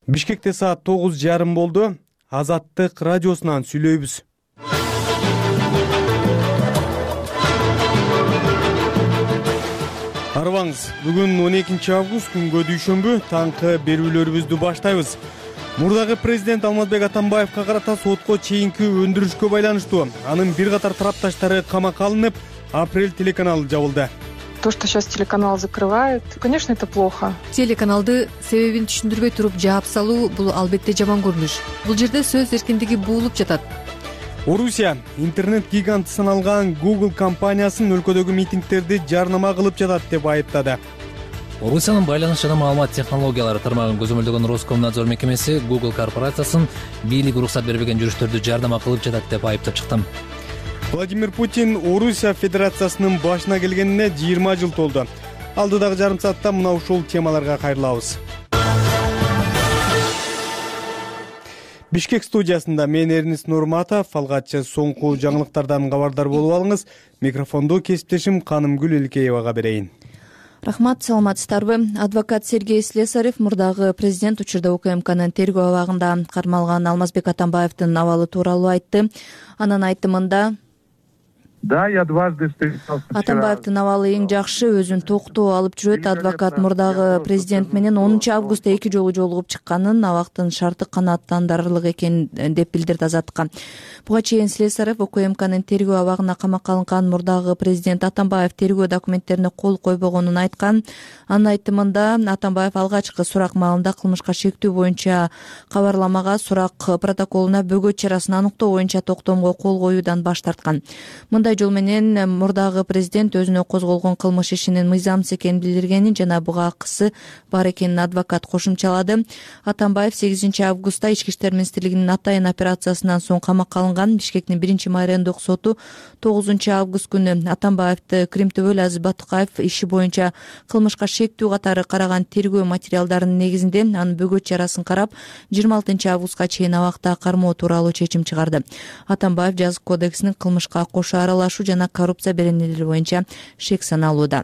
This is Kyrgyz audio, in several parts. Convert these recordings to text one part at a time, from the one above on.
Бишкекте саат 9:30 болду. Азаттык радиосунан сүйлөйбүз. Арыбаңыз, бүгүн 12 август күнгө дүйшөмбү таңкы берүүлөрүбүздү баштайбыз. Мурдагы президент Алмазбек Атамбаевка карата сотко чейинки өндүрүшкө байланыштуу анын бир катар тарапташтары камакка алынып, Апрель телеканалы жабылды. То, что сейчас телеканал закрывают, конечно, это плохо. Телеканалды себебин түшүндүрбөй туруп жаап салуу бул албетте жаман көрүнүш. Бул жерде сөз эркиндиги буулуп жатат. Орусия интернет гиганты саналган Google компаниясын өлкөдөгү митингтерди жарнама кылып жатат деп айыптады. Орусиянын байланыш жана маалымат технологиялары тармагын көзөмөлдөгөн Роскомнадзор мекемеси Google корпорациясын бийлик уруксат бербеген жүрүштөрдү жарнама кылып жатат деп айыптап чыкты. Владимир Путин Орусия Федерациясынын башына келгенине 20 жыл толду. Алдыдагы жарым саатта мына ушул темаларга кайрылабыз. Бишкек студиясында мен Эрнис Нурматов, алгачы соңку жаңылыктардан кабардар болуп алыңыз. Микрофонду кесиптешим Канымгүл Элкеевага берейин. Рахмат, саламатсыздарбы? Адвокат Сергей Слесарев мурдагы президент учурда УКМКнын тергөө абагында кармалган Алмазбек Атамбаевдин абалы тууралуу айтты. Анын айтымында Да, я дважды встречался. Атамбаевдин абалы эң жакшы, өзүн токтоо алып жүрөт. Адвокат мурдагы президент менен 10 августта 2 жолу жолугуп чыкканын, абактын шарты канааттандырарлык экенин деп билдирди Азаттыкка. Буга чейин Слесарев УКМКнын тергөө абагына камакка алынган мурдагы президент Атамбаев тергөө документтерине кол койбогонун айткан. Анын айтымында Атамбаев алгачкы сурак маалында кылмышка шектүү боюнча кабарламага, сурак протоколуна бөгөт чарасын аныктоо боюнча токтомго кол коюудан баш тарткан. Мындай жол менен мурдагы президент өзүнө козголгон кылмыш ишинин мыйзамсыз экенин билдиргенин жана буга акысы бар экенин адвокат кошумчалады. Атамбаев 8 августта Ички иштер министрлигинин атайын операциясынан соң камакка алынган. Бишкектин 1 майрандык соту 9 август күнү Атамбаевди Кримтөбөл Азиз Батыкаев иши боюнча кылмышка шектүү катары караган тергөө материалдарынын негизинде анын бөгөт чарасын карап 26 августка чейин абакта кармоо тууралуу чечим чыгарды. Атамбаев жазык кодексинин кылмышка кошо аралашуу жана коррупция беренелери боюнча шек саналууда.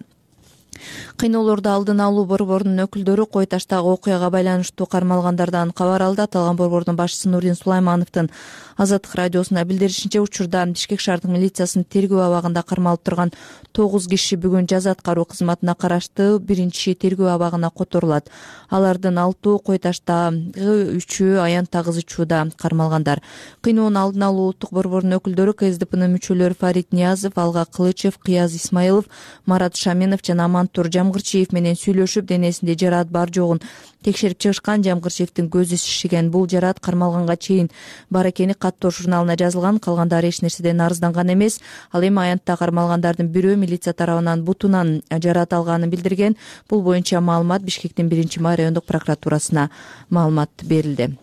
Кыйноолорду алдын алуу борборунун өкүлдөрү Кой Таштагы окуяга байланыштуу кармалгандардан кабар алды. Аталган борбордун башчысы Нурдин Сулаймановдун Азаттык радиосуна билдиришинче, учурда Бишкек шаардык милициясынын тергөө абагында кармалып турган 9 киши бүгүн жаза аткаруу кызматына караштуу 1-чи тергөө абагына которулат. Алардын 6 Кой Таштагы, 3 Аянта Кызычууда кармалгандар. Кыйноонун алдын алуу улуттук борборунун өкүлдөрү КСДПнын мүчөлөрү Фарид Ниязов, Алга Кылычев, Кыяз Исмаилов, Марат Шаменов жана Мантур Жамгырчиев менен сүйлөшүп, денесинде жараат бар жогун текшерип чыгышкан. Жамгырчиевдин көзү шишиген. Бул жараат кармалганга чейин бар экени каттоо журналына жазылган. Калгандары эч нерседен арызданган эмес. Ал эми Аянтта кармалгандардын бирөө милиция тарабынан бутунан жараат алганын билдирген. Бул боюнча маалымат Бишкектин 1-май райондук прокуратурасына маалымат берилди.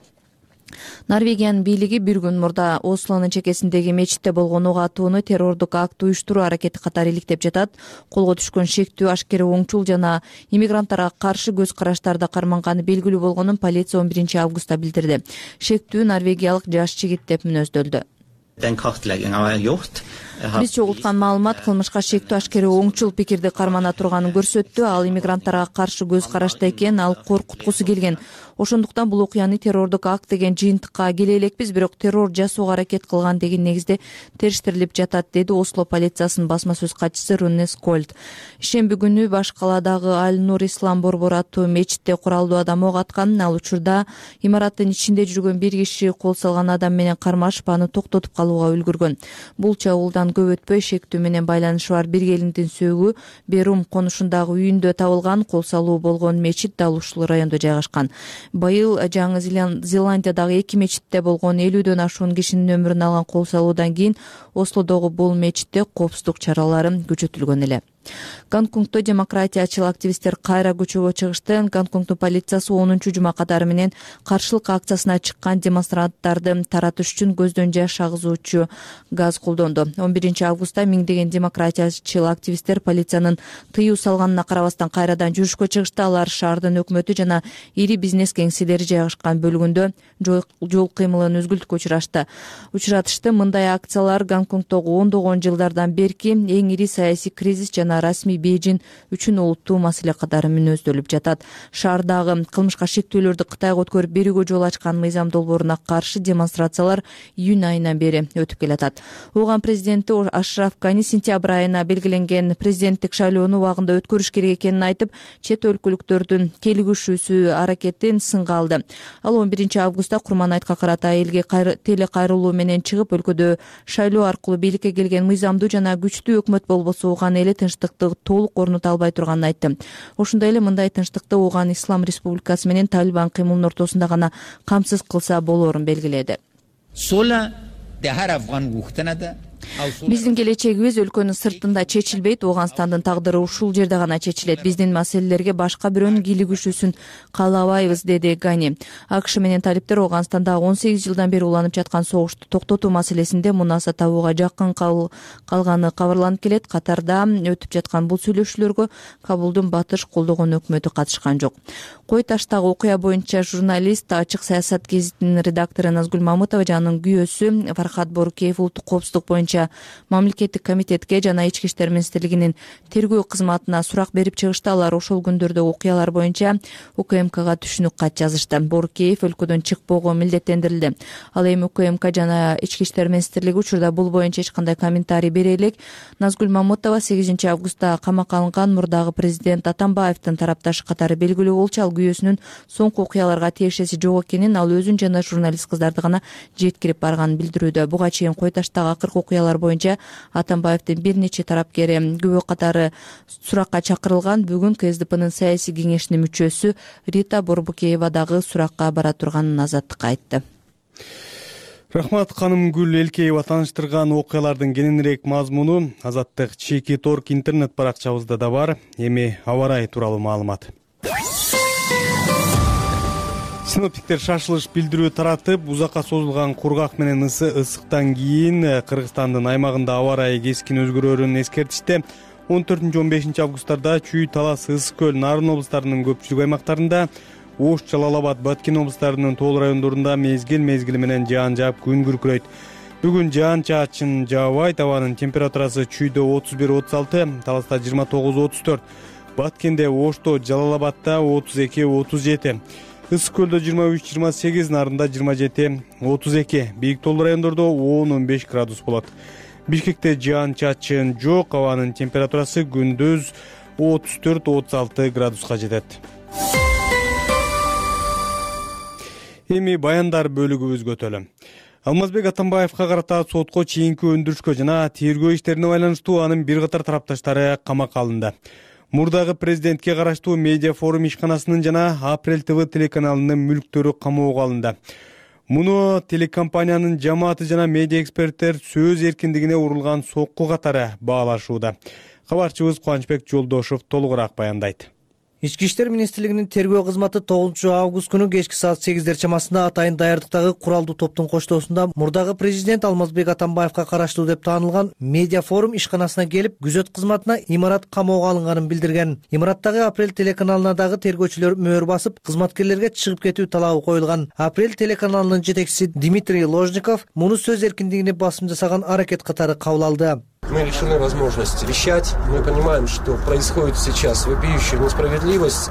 Норвегиянын бийлиги бир күн мурда Ослонун чекесиндеги мечитте болгон ок атууну террордук акт уюштуруу аракети катары иликтеп жатат. Колго түшкөн шектүү ашкере оңчул жана иммигранттарга каршы көз караштарда карманганы белгилүү болгонун полиция 11 августта билдирди. Шектүү норвегиялык жаш жигит деп мүнөздөлдү. Биз чогулткан маалымат кылмышка шектүү ашкере оңчул пикирди кармана турганын көрсөттү. Ал иммигранттарга каршы көз карашта экен, ал коркуткусу келген. Ошондуктан бул окуяны террордук акт деген жыйынтыкка келе элекпиз, бирок террор жасоого аракет кылган деген негизде териштирилип жатат, деди Осло полициясынын басма сөз катчысы Руннес Кольд. Ишемби күнү баш калаадагы Аль-Нур Ислам борбору аттуу мечитте куралдуу адам ок аткан. Ал учурда имараттын ичинде жүргөн бир киши кол салган адам менен кармашып, аны токтотуп калууга үлгүргөн. Бул чабуулдан көп өтпөй шектүү менен байланышы бар бир келиндин сөөгү Берум конушундагы үйүндө табылган. Кол салуу болгон мечит дал ушул райондо жайгашкан. Быйыл Жаңы Зеландиядагы 2 мечитте болгон 50дөн ашуун кишинин өмүрүн алган кол салуудан кийин Ослодогу бул мечитте коопсуздук чаралары күчөтүлгөн эле. Гонконгдо демократиячыл активисттер кайра көчөгө чыгышты. Гонконгдун полициясы 10 жума катары менен каршылык акциясына чыккан демонстранттарды таратыш үчүн көздөн жаш агызуучу газ колдонду. 11 августта миңдеген демократиячыл активисттер полициянын тыюу салганына карабастан кайрадан жүрүшкө чыгышты. Алар шаардын өкмөтү жана ири бизнес кеңселери жайгашкан бөлүгүндө жол кыймылын үзгүлтүккө учуратышты. Мындай акциялар Гонконгдогу ондогон жылдардан берки эң ири саясий кризис жана жана расмий Бейжин үчүн олуттуу маселе катары мүнөздөлүп жатат. Шаардагы кылмышка шектүүлөрдү Кытайга өткөрүп берүүгө жол ачкан мыйзам долбооруна каршы демонстрациялар июнь айынан бери өтүп келатат. Ооган президенти Ашраф Гани сентябрь айына белгиленген президенттик шайлоону убагында өткөрүш керек экенин айтып, чет өлкөлүктөрдүн келигишүүсү аракетин сынга алды. Ал 11 августта Курман айтка карата элге теле кайрылуу менен чыгып, өлкөдө шайлоо аркылуу бийликке келген мыйзамдуу жана күчтүү өкмөт болбосо Ооган эли тынчтыкты толук орнута албай турганын айтты. Ошондой эле мындай тынчтыкты Ооган Ислам Республикасы менен Талибан кыймылынын ортосунда гана камсыз кылса болоорун белгиледи. Биздин келечегибиз өлкөнүн сыртында чечилбейт, Ооганстандын тагдыры ушул жерде гана чечилет. Биздин маселелерге башка бирөөнүн кийлигишүүсүн каалабайбыз, деди Гани. АКШ менен талиптер Ооганстанда 18 жылдан бери уланып жаткан согушту токтотуу маселесинде мунаса табууга жакын калганы кабарланып келет. Катарда өтүп жаткан бул сүйлөшүүлөргө Кабулдун батыш колдогон өкмөтү катышкан жок. Кой таштагы окуя боюнча журналист, Ачык саясат гезитинин редактору Назгүл Мамытова жана анын күйөөсү Фархат Борукеев улуттук коопсуздук боюнча мамлекеттик комитетке жана Ички иштер министрлигинин тергөө кызматына сурак берип чыгышты. Алар ошол күндөрдө окуялар боюнча УКМКга түшүнүк кат жазышты. Борукеев өлкөдөн чыкпоого милдеттендирилди. Ал эми УКМК жана Ички иштер министрлиги учурда бул боюнча эч кандай комментарий бере элек. Назгүл Мамытова 8 августта камакка алынган мурдагы президент Атамбаевдин тарапташы катары белгилүү болчу. Ал күйөөсүнүн соңку окуяларга тиешеси жок экенин, ал өзүн жана журналист кыздарды гана жеткирип барганын билдирүүдө. Буга чейин Кой таштагы акыркы окуялар боюнча Атамбаевдин бир нече тарапкери күбө катары суракка чакырылган. Бүгүн КСДПнын саясий кеңешинин мүчөсү Рита Борбукеева дагы суракка бара турганын Азаттыкка айтты. Рахмат Канымгүл Элкеева тааныштырган окуялардын кененирээк мазмуну Азаттык чеки торк интернет баракчабызда да бар. Эми аба ырайы тууралуу маалымат. Синоптиктер шашылыш билдирүү таратып, узакка созулган кургак менен ысыктан кийин Кыргызстандын аймагында аба ырайы кескин өзгөрөөрүн эскертишти. 14-15 августтарда Чүй, Талас, Ысык көл, Нарын облустарынын көпчүлүк аймактарында, Ош, Жалал-Абад, Баткен облустарынын тоол райондорунда мезгил менен жаан жаап күн күркүрөйт. Бүгүн жаан-чаачын жаабайт. Абанын температурасы Чүйдө 31-36, Таласта 29-34, Баткенде, Ошто, Жалал-Абадда 32-37, Ысык көлдө 23-28, Нарында 27-32, бийик тоол райондордо 10-15 градус болот. Бишкекте жаан-чаачын жок, абанын температурасы күндүз 34-36 градуска жетет. Эми баяндар бөлүгүбүзгө өтөлү. Алмазбек Атамбаевка карата сотко чейинки өндүрүшкө жана тергөө иштерине байланыштуу анын бир катар тарапташтары камакка алынды. Мурдагы президентке караштуу Медиа форум ишканасынын жана Апрель ТВ телеканалынын мүлктөрү камоого алынды. Муну телекомпаниянын жамааты жана медиа эксперттер сөз эркиндигине урулган сокку катары баалашууда. Кабарчыбыз Кубанычбек Жолдошов толугураак баяндайт. Ички иштер министрлигинин тергөө кызматы 9 август күнү кечки саат 8 чамасында атайын даярдыктагы куралдуу топтун коштоосунда мурдагы президент Алмазбек Атамбаевка караштуу деп таанылган Медиа форум ишканасына келип, күзөт кызматына имарат камоого алынганын билдирген. Имараттагы Апрель телеканалына дагы тергөөчүлөр мөөр басып, кызматкерлерге чыгып кетүү талабы коюлган. Апрель телеканалынын жетекчиси Дмитрий Ложников муну сөз эркиндигине басым жасаган аракет катары кабыл алды. Мы лишены возможности вещать. Мы понимаем, что происходит сейчас вопиющая несправедливость.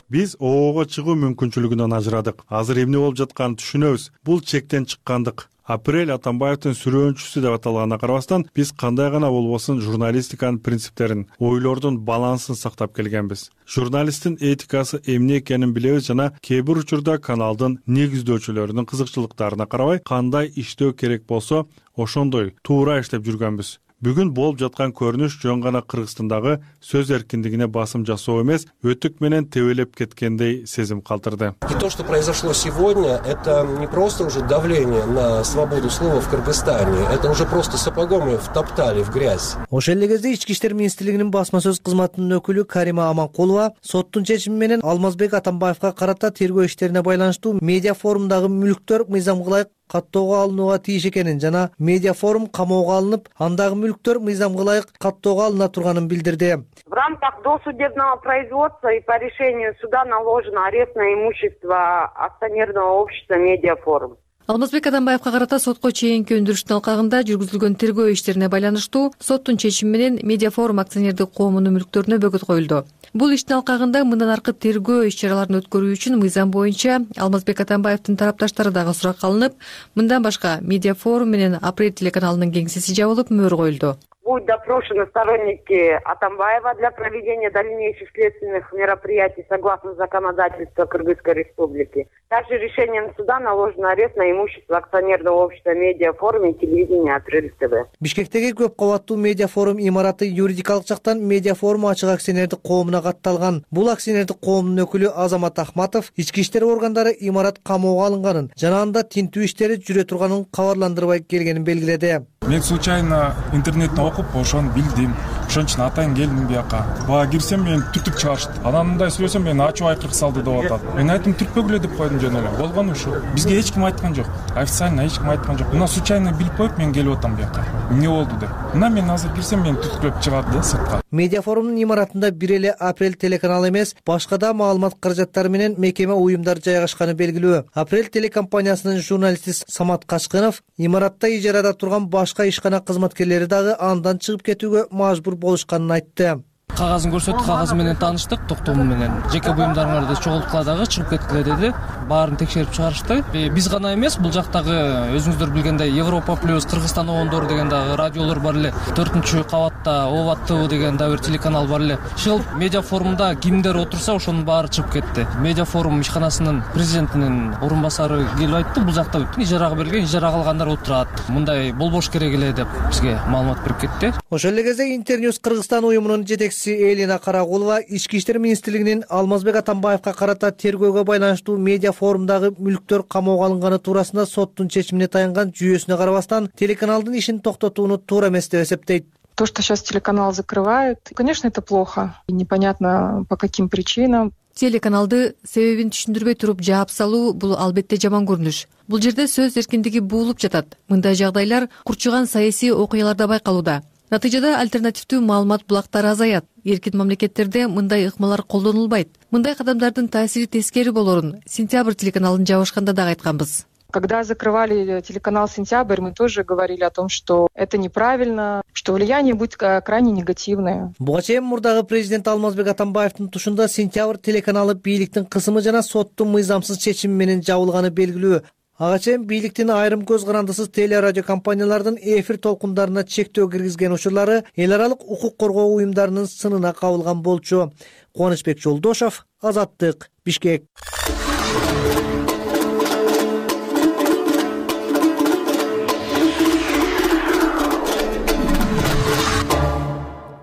Биз ОООго чыгуу мүмкүнчүлүгүнөн ажырадык. Азыр эмне болуп жатканын түшүнөбүз. Бул чектен чыккандык. Апрель Атамбаевдин сүрөөнчүсү деп аталганына карабастан, биз кандай гана болбосун журналистиканын принциптерин, ойлордун балансын сактап келгенбиз. Журналисттин этикасы эмне экенин билебиз жана кээ бир учурда каналдын негиздөөчүлөрүнүн кызыкчылыктарына карабай, кандай иштөө керек болсо, ошондой туура иштеп жүргөнбүз. Бүгүн болуп жаткан көрүнүш жөн гана Кыргызстандагы сөз эркиндигине басым жасоо эмес, өтүк менен тебелеп кеткендей сезим калтырды. И то, что произошло сегодня, это не просто уже давление на свободу слова в Кыргызстане, это уже просто сапогом ее втоптали в грязь. Ошол эле кезде Ички иштер министрлигинин басма сөз кызматынын өкүлү Карима Аманкулова соттун чечими менен Алмазбек Атамбаевка карата тергөө иштерине байланыштуу Медиа форумдагы мүлктөр мыйзамга ылайык каттоого алынууга тийиш экенин жана Медиа форум камоого алынып, андагы мүлктөр мыйзамга ылайык каттоого алына турганын билдирди. В рамках досудебного производства и по решению суда наложен арест на имущество акционерного общества Медиа форум. Алмазбек Атамбаевка карата сотко чейинки өндүрүштүн алкагында жүргүзүлгөн тергөө иштерине байланыштуу соттун чечими менен Медиафорум акционердик коомунун мүлктөрүнө бөгөт коюлду. Бул иштин алкагында мындан аркы тергөө иш-чараларын өткөрүү үчүн мыйзам боюнча Алмазбек Атамбаевдин тарапташтары дагы суракка алынып, мындан башка Медиафорум менен Апрель телеканалынын кеңсеси жабылып, мөөр коюлду. Будут допрошены сторонники Атамбаева для проведения дальнейших следственных мероприятий согласно законодательству Кыргызской Республики. Также решением суда наложен арест на имущество акционерного общества Медиафорум и телевидения Апрель ТВ. Бишкектеги көп кабаттуу Медиафорум имараты юридикалык жактан Медиафорум ачык акционердик коомуна катталган. Бул акционердик коомдун өкүлү Азамат Ахматов ички иштер органдары имарат камоого алынганын жана анда тинтүү иштери жүрө турганын кабарландырбай келгенин белгиледи. Мен случайно интернеттен окуп, ошону билдим. Ошон үчүн атайын келдим бияка. Бага кирсем мен түртүп чыгарышты. Анан мындай сүйлөсөм мен ачуу айкырык салды деп атат. Мен айттым түртпөгүлө деп койдум жөн эле. Болгону ушу. Бизге эч ким айткан жок. Официально эч ким айткан жок. Мына случайно билип коюп мен келип атам бияка. Эмне болду деп. Мына мен азыр кирсем мен түрткүлөп чыгат да сыртка. Медиафорумдун имаратында бир эле Апрель телеканалы эмес, башка да маалымат каражаттары менен мекеме уюмдар жайгашканы белгилүү. Апрель телекомпаниясынын журналисти Самат Качкынов имаратта ижарада турган башка ишкана кызматкерлери дагы андан чыгып кетүүгө мажбур болушканын айтты. Кагазын көрсөттү, кагазы менен тааныштык, токтому менен. Жеке буюмдарыңарды чогулткыла дагы чыгып кеткиле деди. Баарын текшерип чыгарышты. Биз гана эмес, бул жактагы өзүңүздөр билгендей Европа плюс, Кыргызстан оңдор деген дагы радиолор бар эле. 4-кабатта Оват ТВ деген дагы бир телеканал бар эле. Ушул Медиафорумда кимдер отурса, ошонун баары чыгып кетти. Медиафорум ишканасынын президентинин орун басары келип айтты, бул жакта ижарага берилген, ижарага алгандар отурат. Мындай болбош керек эле деп бизге маалымат берип кетти. Ошол эле кезде Интерньюз Кыргызстан уюмунун жетекчиси Элина Карагулова Ички иштер министрлигинин Алмазбек Атамбаевка карата тергөөгө байланыштуу Медиафорумдагы мүлктөр камоого алынганы туурасында соттун чечимине таянган жүйөсүнө карабастан телеканалдын ишин токтотууну туура эмес деп эсептейт. То, что сейчас телеканал закрывают, конечно, это плохо. И непонятно по каким причинам. Телеканалды себебин түшүндүрбөй туруп жаап салуу бул албетте жаман көрүнүш. Бул жерде сөз эркиндиги буулуп жатат. Мындай жагдайлар курчуган саясий окуяларда байкалууда. Натыйжада альтернативдүү маалымат булактары азаят. Эркин мамлекеттерде мындай ыкмалар колдонулбайт. Мындай кадамдардын таасири тескери болорун Сентябрь телеканалын жабышканда дагы айтканбыз. Когда закрывали телеканал «Сентябрь», мы тоже говорили о том, что это неправильно, что влияние будет крайне негативное. Буга чейин мурдагы президент Алмазбек Атамбаевдин тушунда «Сентябрь» телеканалы бийликтин кысымы жана соттун мыйзамсыз чечими менен жабылганы белгилүү. Ага чейин бийликтин айрым көз карандысыз телерадио компаниялардын эфир толкундарына чектөө киргизген учурлары эл аралык укук коргоо уюмдарынын сынына кабылган болчу. Кубанычбек Жолдошов, Азаттык, Бишкек.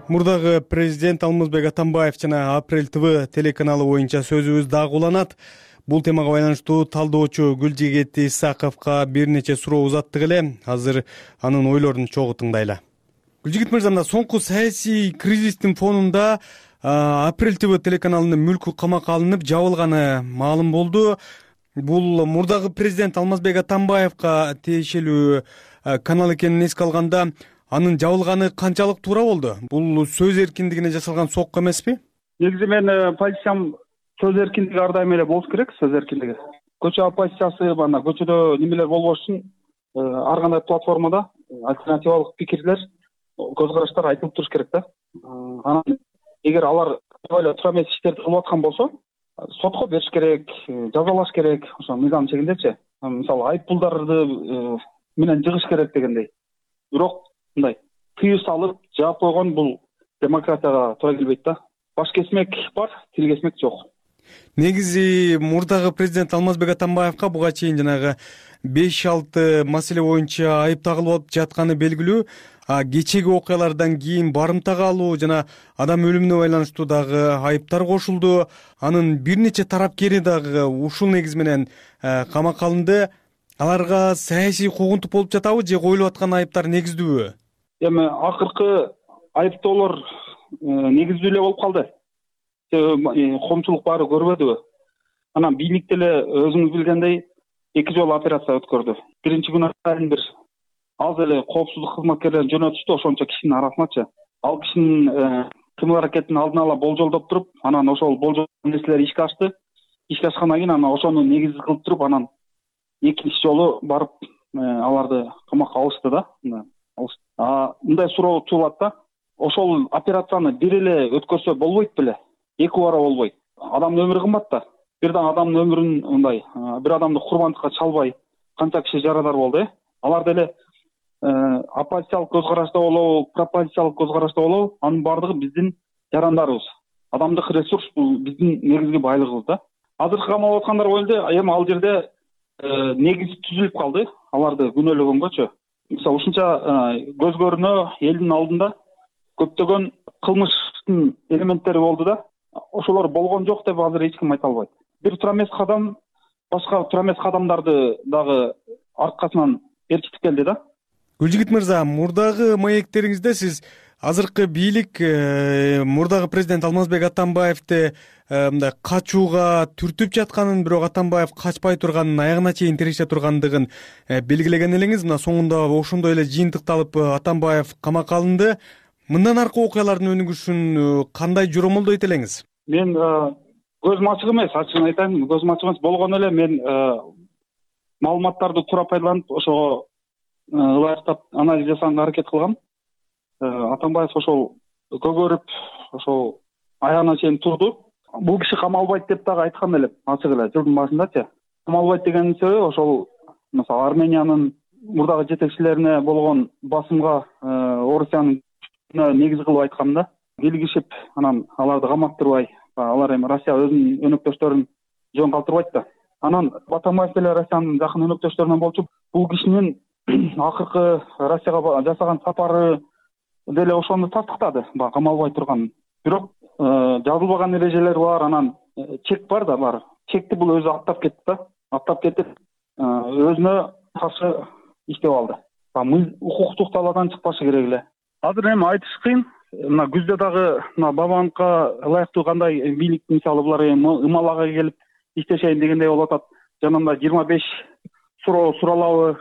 Мурдагы президент Алмазбек Атамбаев жана Апрель ТВ телеканалы боюнча сөзүбүз дагы уланат. Бул темага байланыштуу талдоочу Гүлжигет Исаковго бир нече суроо узаттык эле. Азыр анын ойлорун чогуу тыңдайлы. Гүлжигет мырза, соңку саясий кризистин фонунда Апрель ТВ телеканалынын мүлкү камакка алынып жабылганы маалым болду. Бул мурдагы президент Алмазбек Атамбаевга тиешелүү канал экенин эске алганда, анын жабылганы канчалык туура болду? Бул сөз эркиндигине жасалган сокку эмеспи? Негизи мен позициям сөз эркиндиги ар дайым эле болуш керек, сөз эркиндиги. Көчө оппозициясы, мына көчөдө немелер болбош үчүн ар кандай платформада альтернативалык пикирлер, көз караштар айтылып туруш керек да. Анан эгер алар эле туура эмес иштерди кылып аткан болсо, сотко бериш керек, жазалаш керек, ошо мыйзам чегиндечи. Мисалы айыппулдарды менен жыгыш керек дегендей. Бирок мындай тыюу салып жаап койгон бул демократияга туура келбейт да. Баш кесмек бар, тил кесмек жок. Негизи мурдагы президент Алмазбек Атамбаевга буга чейин жанагы 5-6 маселе боюнча айып тагылып жатканы белгилүү. Кечеги окуялардан кийин барымта калуу жана адам өлүмүнө байланыштуу дагы айыптар кошулду. Анын бир нече тарапкери дагы ушул негиз менен камакка алынды. Аларга саясий куугунтук болуп жатабы же коюлуп аткан айыптар негиздүүбү? Эми акыркы айыптоолор негиздүү эле болуп калды. Коомчулук баары көрбөдүбү? Анан бийлик деле өзүңүз билгендей 2 жолу операция өткөрдү. Биринчи күнү бир аз эле коопсуздук кызматкерлерин жөнөтүштү, ошончо кишинин арасыначы. Ал кишинин кымыл аракетин алдын ала болжолдоп туруп, анан ошол болжол нерселер ишке ашты. Ишке ашкандан кийин анан ошону негиз кылып туруп, анан экинчи жолу барып аларды камакка алышты да. Мындай суроо туулат да. Ошол операцияны бир эле өткөрсө болбойт беле? Эки бара болбойт. Адамдын өмүрү кымбат да. Бирден адамдын өмүрүн мындай бир адамды курбандыкка чалбай канча киши жарадар болду, Алар деле оппозициялык көз карашта болобу, пропозициялык көз карашта болобу, анын баардыгы биздин жарандарыбыз. Адамдык ресурс бул биздин негизги байлыгыбыз да. Азыркы камалып аткандар боюнча эми ал жерде негиз түзүлүп калды, аларды күнөөлөгөнгөчү. Мисалы ушунча көз көрүнө элдин алдында көптөгөн кылмыштын элементтери болду да. Ошолор болгон жок деп азыр эч ким айта албайт. Бир туура эмес кадам башка туура эмес кадамдарды дагы аркасынан эркитип келди да. Гүлжигит мырза, мурдагы маектериңизде сиз азыркы бийлик мурдагы президент Алмазбек Атамбаевди мындай качууга түртүп жатканын, бирок Атамбаев качпай турганын, аягына чейин тиреше тургандыгын белгилеген элеңиз. Мына соңунда ошондой эле жыйынтыкталып Атамбаев камакка алынды. Мындан аркы окуялардын өнүгүшүн кандай жоромолдойт элеңиз? Мен көзүм ачык эмес, ачыгын айтайын, көзүм ачык эмес болгону эле мен маалыматтарды туура пайдаланып, ошого ылайыктап анализ жасаганга аракет кылгам. Атамбаев ошол көгөрүп, ошол аягына чейин турду. Бул киши камалбайт деп дагы айткан элем, ачык эле жылдын башындачы. Камалбайт дегенин себеби ошол мисалы Армениянын мурдагы жетекчилерине болгон басымга Орусиянын негиз кылып айткам да. Килгишип, анан аларды каматтырбай, алар эми Россия өзүнүн өнөктөштөрүн жөн калтырбайт да. Анан Атамбаев деле Россиянын жакын өнөктөштөрүнөн болчу. Бул кишинин акыркы Россияга жасаган сапары деле ошону тастыктады, камалбай турган. Бирок жазылбаган эрежелер бар, анан чек бар да, бар. Чекти бул өзү аттап кетти да. Аттап кетип, өзүнө каршы иштеп алды. Укуктук талаадан чыкпашы керек эле. Азыр эми айтыш кыйын. Мына күздө дагы мына Бабановго ылайыктуу кандай бийлик мисалы булар ымалага келип иштешейин дегендей болуп атат. Жанында 25 суроо суралабы,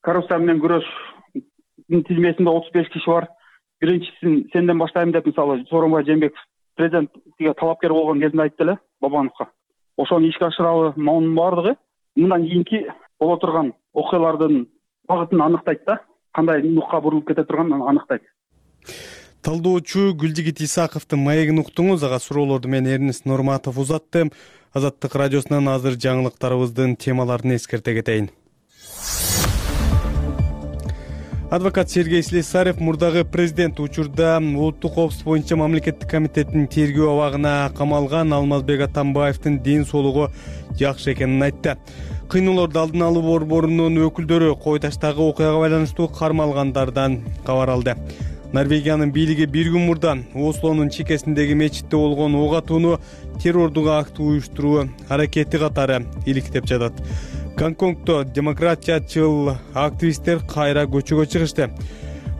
коррупция менен күрөштүн тизмесинде 35 киши бар. Биринчисин сенден баштайм деп мисалы Сооронбай Жээнбеков президентке талапкер болгон кезинде айтты эле Бабановго. Ошону ишке ашырабы, монун баардыгы мындан кийинки боло турган окуялардын багытын аныктайт да. Кандай нукка бурулуп кете турганын аныктайт. Талдоочу Гүлжигит Исаковдун маегин уктуңуз. Ага суроолорду мен Эрнест Нурматов узаттым. Азаттык радиосунан азыр жаңылыктарыбыздын темаларын эскерте кетейин. Адвокат Сергей Слесарев мурдагы президент учурда улуттук коопсуздук боюнча мамлекеттик комитеттин тергөө абагына камалган Алмазбек Атамбаевдин ден соолугу жакшы экенин айтты. Кыйноолорду алдын алуу борборунун өкүлдөрү Кой Таштагы окуяга байланыштуу кармалгандардан кабар алды. Норвегиянын бийлиги бир күн мурда Ослонун чекесиндеги мечитте болгон ок атууну террордук акт уюштуруу аракети катары иликтеп жатат. Гонконгдо демократиячыл активисттер кайра көчөгө чыгышты.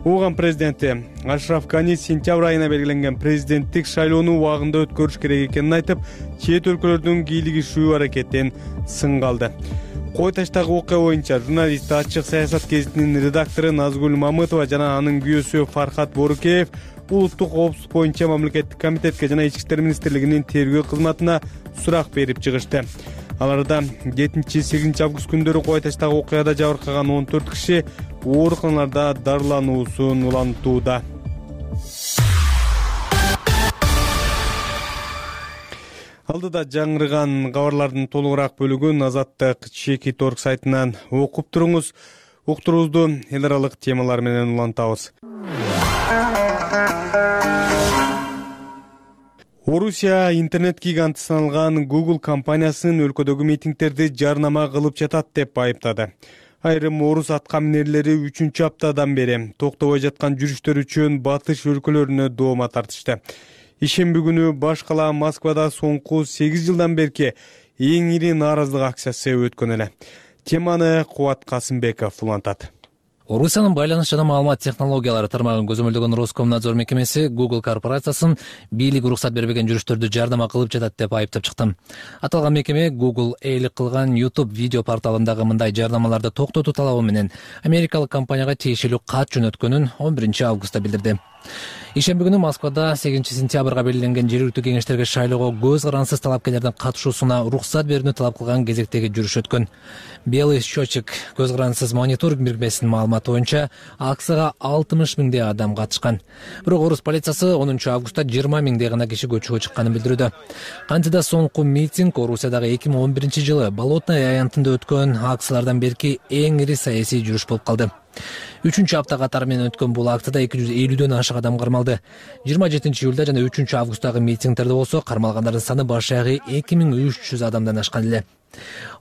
Ооган президенти Ашраф Гани сентябрь айына белгиленген президенттик шайлоону убагында өткөрүш керек экенин айтып, чет өлкөлөрдүн кийлигишүү аракетин сынга алды. Кой Таштагы окуя боюнча журналист Ачык саясат гезитинин редактору Назгүл Мамытова жана анын күйөөсү Фархат Борукеев улуттук коопсуздук боюнча мамлекеттик комитетке жана Ички иштер министрлигинин тергөө кызматына сурак берип чыгышты. Аларда 7-8 август күндөрү Кой Таштагы окуяда жабыркаган 14 киши ооруканаларда дарылануусун улантууда. Алдыда жаңырган кабарлардын толугураак бөлүгүн Азаттык Чекит орг сайтынан окуп туруңуз. Уктуруубузду эл аралык темалар менен улантабыз. Орусия интернет гиганты саналган Google компаниясын өлкөдөгү митингдерди жарнама кылып жатат деп айыптады. Айрым орус аткаминерлери 3-аптадан бери токтобой жаткан жүрүштөр үчүн батыш өлкөлөрүнө доoma тартышты. Ишемби күнү баш кала Москвада соңку 8 жылдан берки эң ири нааразылык акциясы өткөн эле. Теманы Кубат Касымбеков улантат. Орусиянын байланыш жана маалымат технологиялары тармагын көзөмөлдөгөн Роскомнадзор мекемеси Google корпорациясын бийлик уруксат бербеген жүрүштөрдү жардама кылып жатат деп айыптап чыкты. Аталган мекеме Google эйлик кылган YouTube видео порталындагы мындай жардамаларды токтотуу талабы менен америкалык компанияга тиешелүү кат жөнөткөнүн 11 августта билдирди. Ишемби күнү Москвада 8 сентябрга белгиленген жергиликтүү кеңештерге шайлоого көз карансыз талапкерлердин катышуусуна уруксат берүүнү талап кылган кезектеги жүрүш өткөн. Белый счетчик көз карансыз мониторинг бирикмесинин маалыматы боюнча акцияга 60 миңдей адам катышкан. Бирок орус полициясы 10 августта 20 миңдей гана киши көчөгө чыкканын билдирүүдө. Кантида соңку митинг Орусиядагы 2011 жылы Болотное аянтында өткөн акциялардан берки эң ири саясий жүрүш болуп калды. 3-апта катары менен өткөн бул акцияда 250дөн ашык адам кармалды. 27 июлда жана 3 августтагы митингдерде болсо кармалгандардын саны баш аягы 2300 адамдан ашкан эле.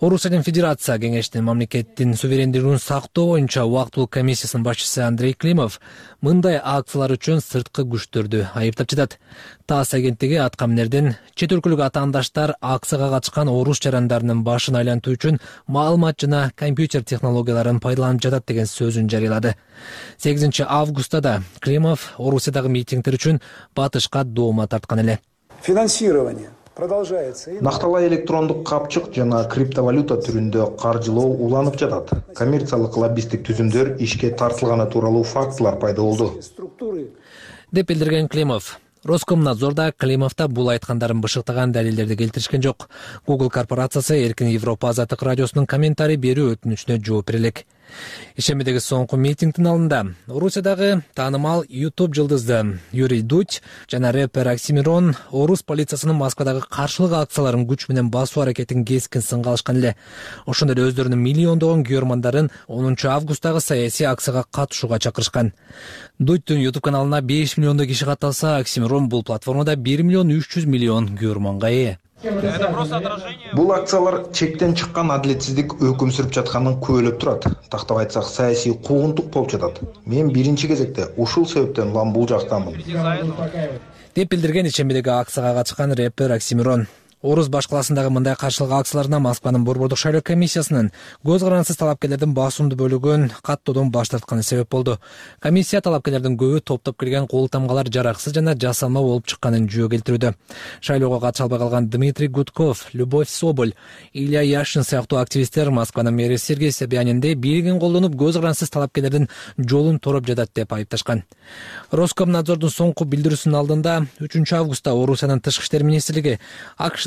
Орусиянын Федерация кеңештин мамлекеттин суверендүүлүгүн сактоо боюнча убактылуу комиссиясынын башчысы Андрей Климов мындай акциялар үчүн сырткы күчтөрдү айыптап жатат. ТАСС агенттиги аткаминердин чет өлкөлүк атаандаштар акцияга катышкан орус жарандарынын башын айлантуу үчүн маалымат жана компьютер технологияларын пайдаланып жатат деген сөзүн жарыялады. 8 августта да Климов Орусиядагы митингдер үчүн батышка доома тарткан эле. Финансирование Накталай электрондук капчык жана криптовалюта түрүндө каржылоо уланып жатат. Коммерциялык лоббисттик түзүмдөр ишке тартылганы тууралуу фактылар пайда болду, деп билдирген Климов. Роскомнадзорда Климовда бул айткандарын бышыктаган далилдерди келтиришкен жок. Google корпорациясы Эркин Европа азаттык радиосунун комментарий берүү өтүнүчүнө жооп берелек. Ишембидеги соңку митингдин алдында Орусиядагы таанымал YouTube жылдызы Юрий Дудь жана рэпер Оксимирон орус полициясынын Москвадагы каршылык акцияларын күч менен басуу аракетин кескин сынга алышкан эле. Ошондой эле өздөрүнүн миллиондогон көрөрмандарын 10 августтагы саясий акцияга катышууга чакырышкан. Дудьтун YouTube каналына 5 миллиондой киши катталса, Оксимирон бул платформада 1 миллион 300 миллион көрөрманга ээ. Бул акциялар чектен чыккан адилетсиздик өкүм сүрүп жатканын күбөлөп турат. Тактап айтсак, саясий куугунтук болуп жатат. Мен биринчи кезекте ушул себептен улам бул жактамын, деп билдирген ишембидеги акцияга катышкан рэпер Оксимирон. Орус башкаласындагы мындай каршылык акцияларына Москванын борбордук шайлоо комиссиясынын көз карансыз талапкерлердин басымдуу бөлүгүн каттоодон баш тартканы себеп болду. Комиссия талапкерлердин көбү топтоп келген кол тамгалар жараксыз жана жасалма болуп чыкканын жөө келтирүүдө. Шайлоого катыша албай калган Дмитрий Гудков, Любовь Соболь, Илья Яшин сыяктуу активисттер Москванын мэри Сергей Собянинди бийлигин колдонуп көз карансыз талапкерлердин жолун тороп жатат деп айыпташкан. Роскомнадзордун соңку билдирүүсүнүн алдында 3 августта Орусиянын тышкы иштер министрлиги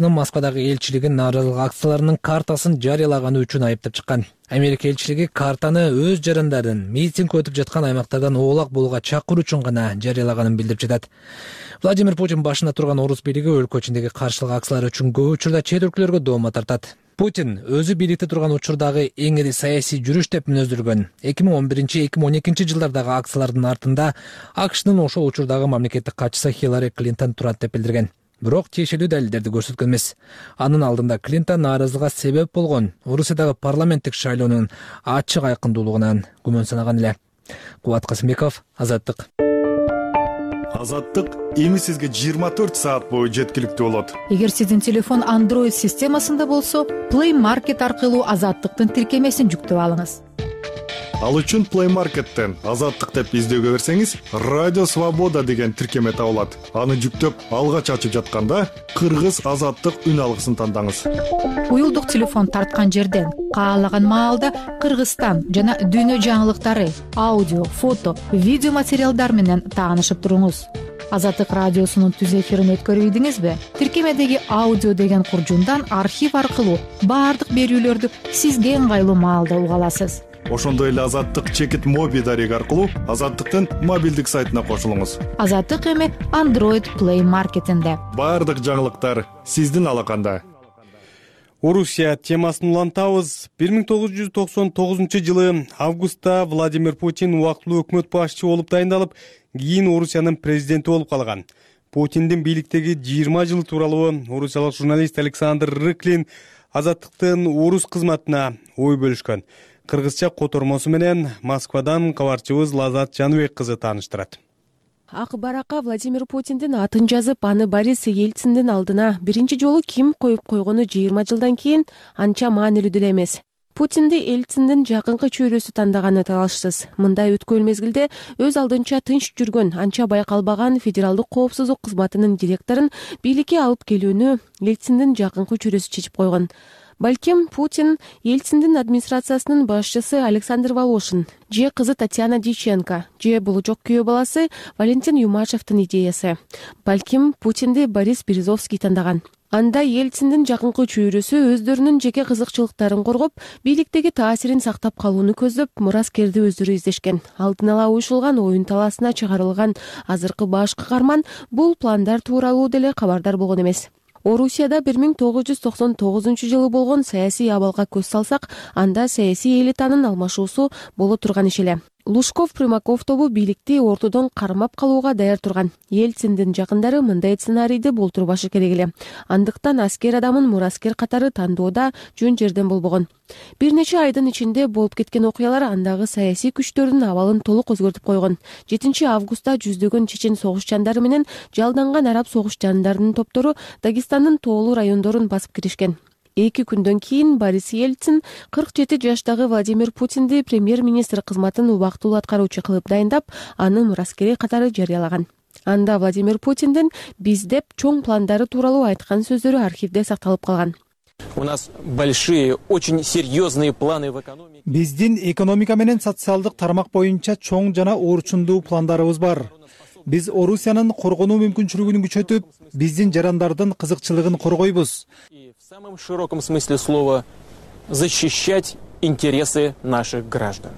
Москвадагы элчилигин нааразылык акцияларынын картасын жарыялаганы үчүн айыптап чыккан. Америка элчилиги картаны өз жарандарын митинг өтүп жаткан аймактардан оолак болууга чакыруу үчүн гана жарыялаганын билдирип жатат. Владимир Путин башында турган орус бийлиги өлкө ичиндеги каршылык акциялар үчүн көп учурда чет өлкөлөргө доома тартат. Путин өзү бийликте турган учурдагы эң ири саясий жүрүш деп мүнөздөргөн 2011-2012 жылдардагы акциялардын артында АКШнын ошол учурдагы мамлекеттик катчысы Хиллари Клинтон турат деп билдирген. Бирок тиешелүү далилдерди көрсөткөн эмес. Анын алдында Клинтон нааразылыкка себеп болгон Орусиядагы парламенттик шайлоонун ачык айкындуулугунан күмөн санаган эле. Кубат Касымбеков, Азаттык. Азаттык эми сизге 24 саат бою жеткиликтүү болот. Эгер сиздин телефон Android системасында болсо, Play Market аркылуу Азаттыктын тиркемесин жүктөп алыңыз. Ал үчүн Play Market'тен Азаттык деп издөөгө берсеңиз, Радио Свобода деген тиркеме табылат. Аны жүктөп, алгач ачып жатканда Кыргыз Азаттык үн алгысын тандаңыз. Уюлдук телефон тарткан жерден каалаган маалда Кыргызстан жана дүйнө жаңылыктары, аудио, фото, видео материалдар менен таанышып туруңуз. Азаттык радиосунун түз эфирин өткөрүп ийдиңизби? Тиркемедеги аудио деген куржундан архив аркылуу баардык берүүлөрдү сизге ыңгайлуу маалда уга аласыз. Ошондой эле Азаттык чекит моби дареги аркылуу Азаттыктын мобилдик сайтына кошулуңуз. Азаттык эми Android Play Market'инде. Баардык жаңылыктар сиздин алаканда. Орусия темасын улантабыз. 1999 жылы августта Владимир Путин убактылуу өкмөт башчысы болуп дайындалып, кийин Орусиянын президенти болуп калган. Путиндин бийликтеги 20 жыл тууралуу орусиялык журналист Александр Рыклин Азаттыктын орус кызматына ой бөлүшкөн. Кыргызча котормосу менен Москвадан кабарчыбыз Лазат Жаныбек кызы тааныштырат. Ак баракка Владимир Путиндин атын жазып, аны Борис Ельциндин алдына биринчи жолу ким коюп койгону 20 жылдан кийин анча маанилүү деле эмес. Путинди Ельциндин жакынкы чөйрөсү тандаганы талашсыз. Мындай өткөн мезгилде өз алдынча тынч жүргөн, анча байкалбаган федералдык коопсуздук кызматынын директорун бийликке алып келүүнү Ельциндин жакынкы чөйрөсү чечип койгон. Балким Путин Ельциндин администрациясынын башчысы Александр Волошин же кызы Татьяна Дьяченко же болочок күйөө баласы Валентин Юмашевдин идеясы. Балким Путинди Борис Березовский тандаган. Анда Ельциндин жакынкы чөйрөсү өздөрүнүн жеке кызыкчылыктарын коргоп, бийликтеги таасирин сактап калууну көздөп, мураскерди өздөрү издешкен. Алдын ала уюшулган оюн талаасына чыгарылган азыркы баш каарман бул пландар тууралуу деле кабардар болгон эмес. Орусияда 1999-жылы болгон саясий абалга көз салсак, анда саясий элитанын алмашуусу боло турган иш эле. Лужков-Примаков тобу бийликти ортодон кармап калууга даяр турган. Ельциндин жакындары мындай сценарийди болтурбашы керек эле. Андыктан аскер адамын мураскер катары тандоодо жөн жерден болбогон. Бир нече айдын ичинде болуп кеткен окуялар андагы саясий күчтөрдүн абалын толук өзгөртүп койгон. 7-августта жүздөгөн чечен согуш менен жалданган араб согуш жандарынын топтору Дагестандын тоолуу райондорун басып киришкен. 2 күндөн кийин Борис Ельцин 47 жаштагы Владимир Путинди премьер-министр кызматын убактылуу аткаруучу кылып дайындап, аны мураскери катары жарыялаган. Анда Владимир Путиндин биз деп чоң пландары тууралуу айткан сөздөрү архивде сакталып калган. У нас большие, очень серьезные планы в экономике. Биздин экономика менен социалдык тармак боюнча чоң жана орчундуу пландарыбыз бар. Биз Орусиянын коргонуу мүмкүнчүлүгүн күчөтүп, биздин жарандардын кызыкчылыгын коргойбуз. В самом широком смысле слова защищать интересы наших граждан.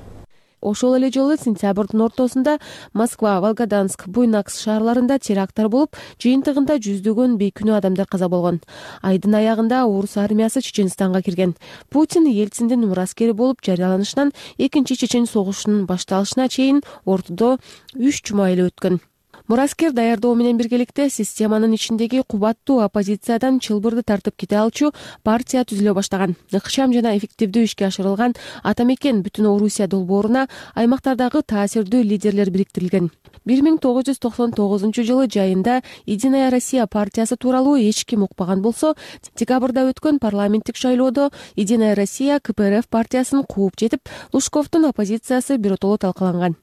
Ошол эле жолу сентябрдын ортосунда Москва, Волгоданск, Буйнакск шаарларында теракттар болуп, жыйынтыгында жүздөгөн бейкүнөө адамдар каза болгон. Айдын аягында орус армиясы Чеченстанга кирген. Путин Ельциндин мураскери болуп жарыяланышынан экинчи чечен согушунун башталышына чейин ортодо 3 жума эле өткөн. Мураскер даярдоо менен биргеликте системанын ичиндеги кубаттуу оппозициядан чылбырды тартып кете алчу партия түзүлө баштаган. Ыкчам жана эффективдүү ишке ашырылган Атамекен бүтүн Орусия долбооруна аймактардагы таасирдүү лидерлер бириктирилген. 1999-жылы жайында Единая Россия партиясы тууралуу эч ким укпаган болсо, декабрда өткөн парламенттик шайлоодо Единая Россия КПРФ партиясын кууп жетип, Лужковдун оппозициясы биротоло талкаланган.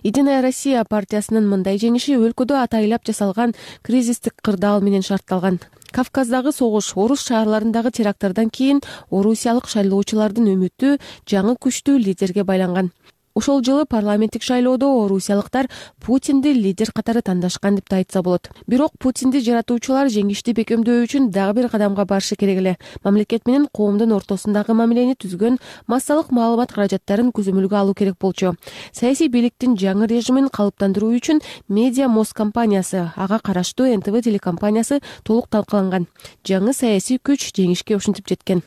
Единая Россия партиясынын мындай жеңиши өлкөдө атайлап жасалган кризистик кырдаал менен шартталган. Кавказдагы согуш, орус шаарларындагы теракттардан кийин орусиялык шайлоочулардын үмүтү жаңы күчтүү лидерге байланган. Ошол жылы парламенттик шайлоодо орусиялыктар Путинди лидер катары тандашкан деп айтса болот. Бирок Путинди жаратуучулар жеңишти бекемдөө үчүн дагы бир кадамга барышы керек эле. Мамлекет менен коомдун ортосундагы мамилени түзгөн массалык маалымат каражаттарын көзөмөлгө алуу керек болчу. Саясий бийликтин жаңы режимин калыптандыруу үчүн Медиа Мост компаниясы, ага караштуу НТВ телекомпаниясы толук талкаланган. Жаңы саясий күч жеңишке ушинтип жеткен.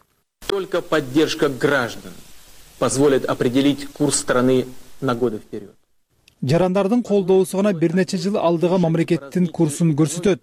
Только поддержка граждан позволит определить курс страны на годы вперед. Жарандардын колдоосу гана бир нече жыл алдыга мамлекеттин курсун көрсөтөт.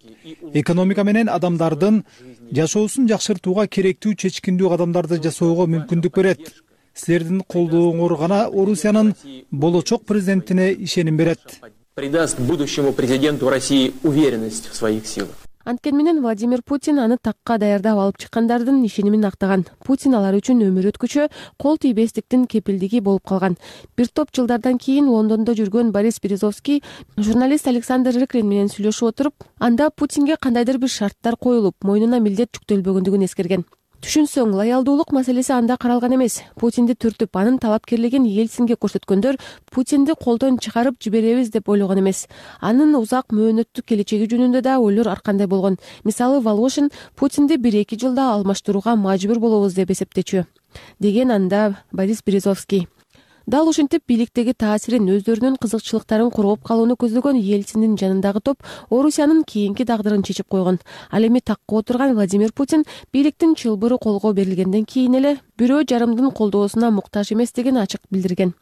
Экономика менен адамдардын жашоосун жакшыртууга керектүү чечкиндүү кадамдарды жасоого мүмкүндүк берет. Силердин колдооңор гана Орусиянын болочок президентине ишеним берет. Придаст будущему президенту России уверенность в своих силах. Анткени менен Владимир Путин аны такка даярдап алып чыккандардын ишенимин актаган. Путин алар үчүн өмүр өткүчө кол тийбестиктин кепилдиги болуп калган. Бир топ жылдардан кийин Лондондо жүргөн Борис Березовский журналист Александр Рыклин менен сүйлөшүп отуруп, анда Путинге кандайдыр бир шарттар коюлуп, мойнуна милдет жүктөлбөгөндүгүн эскерген. Түшүнсөң, лоялдуулук маселеси анда каралган эмес. Путинди түртүп, анын талапкерлигин Ельцинге көрсөткөндөр Путинди колдон чыгарып жиберебиз деп ойлогон эмес. Анын узак мөөнөттүк келечеги жөнүндө да ойлор ар кандай болгон. Мисалы, Волошин Путинди 1-2 жылда алмаштырууга мажбур болобуз деп эсептечү, деген анда Борис Березовский. Дал ушинтип бийликтеги таасирин, өздөрүнүн кызыкчылыктарын коргоп калууну көздөгөн Ельциндин жанындагы топ Орусиянын кийинки тагдырын чечип койгон. Ал эми такка отурган Владимир Путин бийликтин чылбыры колго берилгенден кийин эле бирөө жарымдын колдоосуна муктаж эместигин ачык билдирген.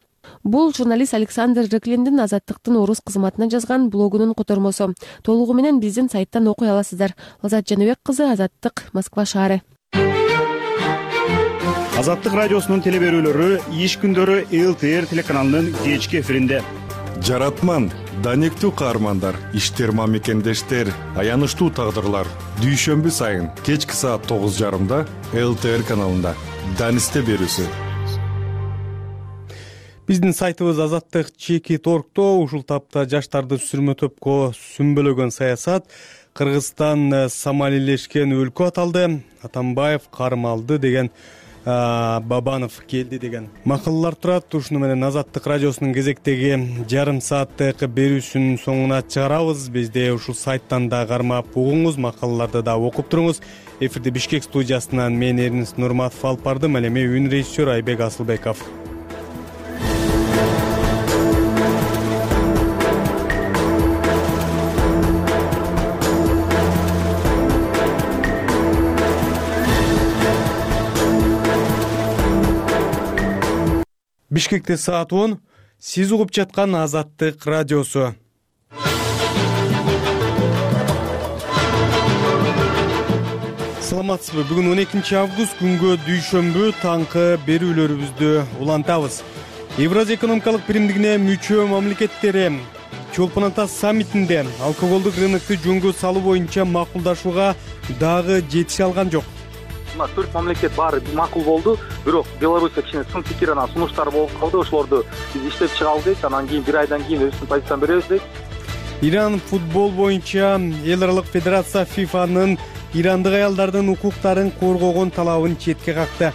Бул журналист Александр Рыклиндин Азаттыктын орус кызматына жазган блогунун котормосу. Толугу менен биздин сайттан окуй аласыздар. Лазат Жаныбек кызы, Азаттык, Москва шаары. Азаттык радиосунун телеберүүлөрү иш күндөрү ЛТР телеканалынын кечки эфиринде. Жаратман, данектүү каармандар, иштер мамекендештер, аянычтуу тагдырлар. Дүйшөмбү сайын кечки саат 9:30 ЛТР каналында. Данисте берүүсү. Биздин сайтыбыз Азаттык Чеки.org'то ушул тапта жаштарды сүрмө топко сүмбөлөгөн саясат, Кыргызстан самалийлешкен өлкө аталды, Атамбаев кармалды деген, Бабанов келди деген макалалар турат. Ушуну менен Азаттык радиосунун кезектеги жарым сааттык берүүсүнүн соңуна чыгарабыз. Бизде ушул сайттан да кармап угуңуз, макалаларды да окуп туруңуз. Эфирде Бишкек студиясынан мен Эрнис Нурматов алып бардым. Ал эми үн режиссер Айбек Асылбеков. Бишкекте саат 10. Сиз угуп жаткан Азаттык радиосу. Саламатсызбы? Бүгүн 12 август күнгө дүйшөмбү таңкы берүүлөрүбүздү улантабыз. Евразия экономикалык биримдигине мүчө мамлекеттери Чолпон Ата саммитинде алкоголдук рынокту жөнгө салуу боюнча макулдашууга дагы жетише алган жок. 4 мамлекет баары макул болду, бирок Беларусь кичине сын пикир анан сунуштар болуп калды. Ошолорду биз иштеп чыгалы дейт, анан кийин бир айдан кийин өзүбүздүн позициябызды беребиз дейт. Иран футбол боюнча эл аралык федерация ФИФАнын ирандык аялдардын укуктарын коргогон талабын четке какты.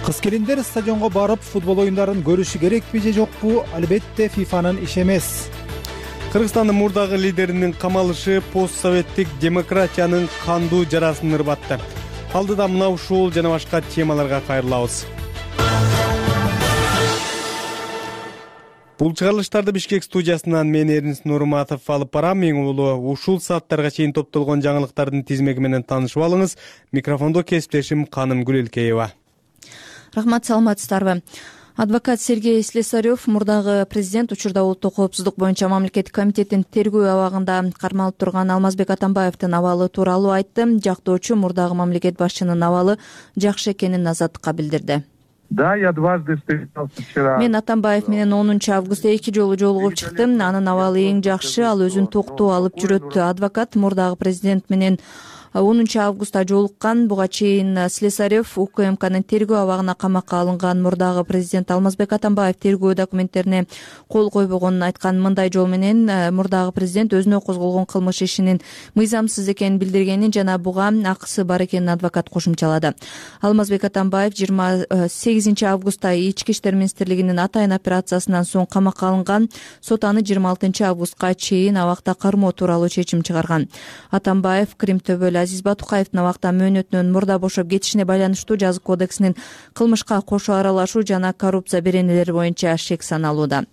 Кыз келиндер стадионго барып футбол оюндарын көрүшү керекпи же жокпу? Албетте ФИФАнын иши эмес. Кыргызстандын мурдагы лидеринин камалышы постсоветтик демократиянын кандуу жарасын ырбатты. Алдыда мына ушул жана башка темаларга кайрылабыз. Бул чыгарылыштарды Бишкек студиясынан мен Эрнис Нурматов алып барам. Эң улуу ушул сааттарга чейин топтолгон жаңылыктардын тизмеги менен таанышып алыңыз. Микрофондо кесиптешим Каным Гүлелкеева. Рахмат, саламатсыздарбы? Адвокат Сергей Слесарев мурдагы президент учурда улуттук коопсуздук боюнча мамлекеттик комитеттин тергөө абагында кармалып турган Алмазбек Атамбаевдин абалы тууралуу айтты. Жактоочу мурдагы мамлекет башчынын абалы жакшы экенин Азаттыкка билдирди. Да, я дважды встречался вчера. Мен Атамбаев менен 10 августта 2 жолу жолугуп чыктым. Анын абалы эң жакшы, ал өзүн токтоо алып жүрөт. Адвокат мурдагы президент менен 10 августта жолуккан. Буга чейин Слесарев УКМКнын тергөө абагына камакка алынган мурдагы президент Алмазбек Атамбаев тергөө документтерине кол койбогонун айткан. Мындай жол менен мурдагы президент өзүнө козголгон кылмыш ишинин мыйзамсыз экенин билдиргенин жана буга акысы бар экенин адвокат кошумчалады. Алмазбек Атамбаев 28 августта Ички иштер министрлигинин атайын операциясынан соң камакка алынган. Сот аны 26 августка чейин абакта кармоо тууралуу чечим чыгарган. Атамбаев Крим төбөлү Азиз Батукаевдин абакта мөөнөтүнөн мурда бошоп кетишине байланыштуу жазык кодексинин кылмышка кошо аралашуу жана коррупция беренелери боюнча шек саналууда.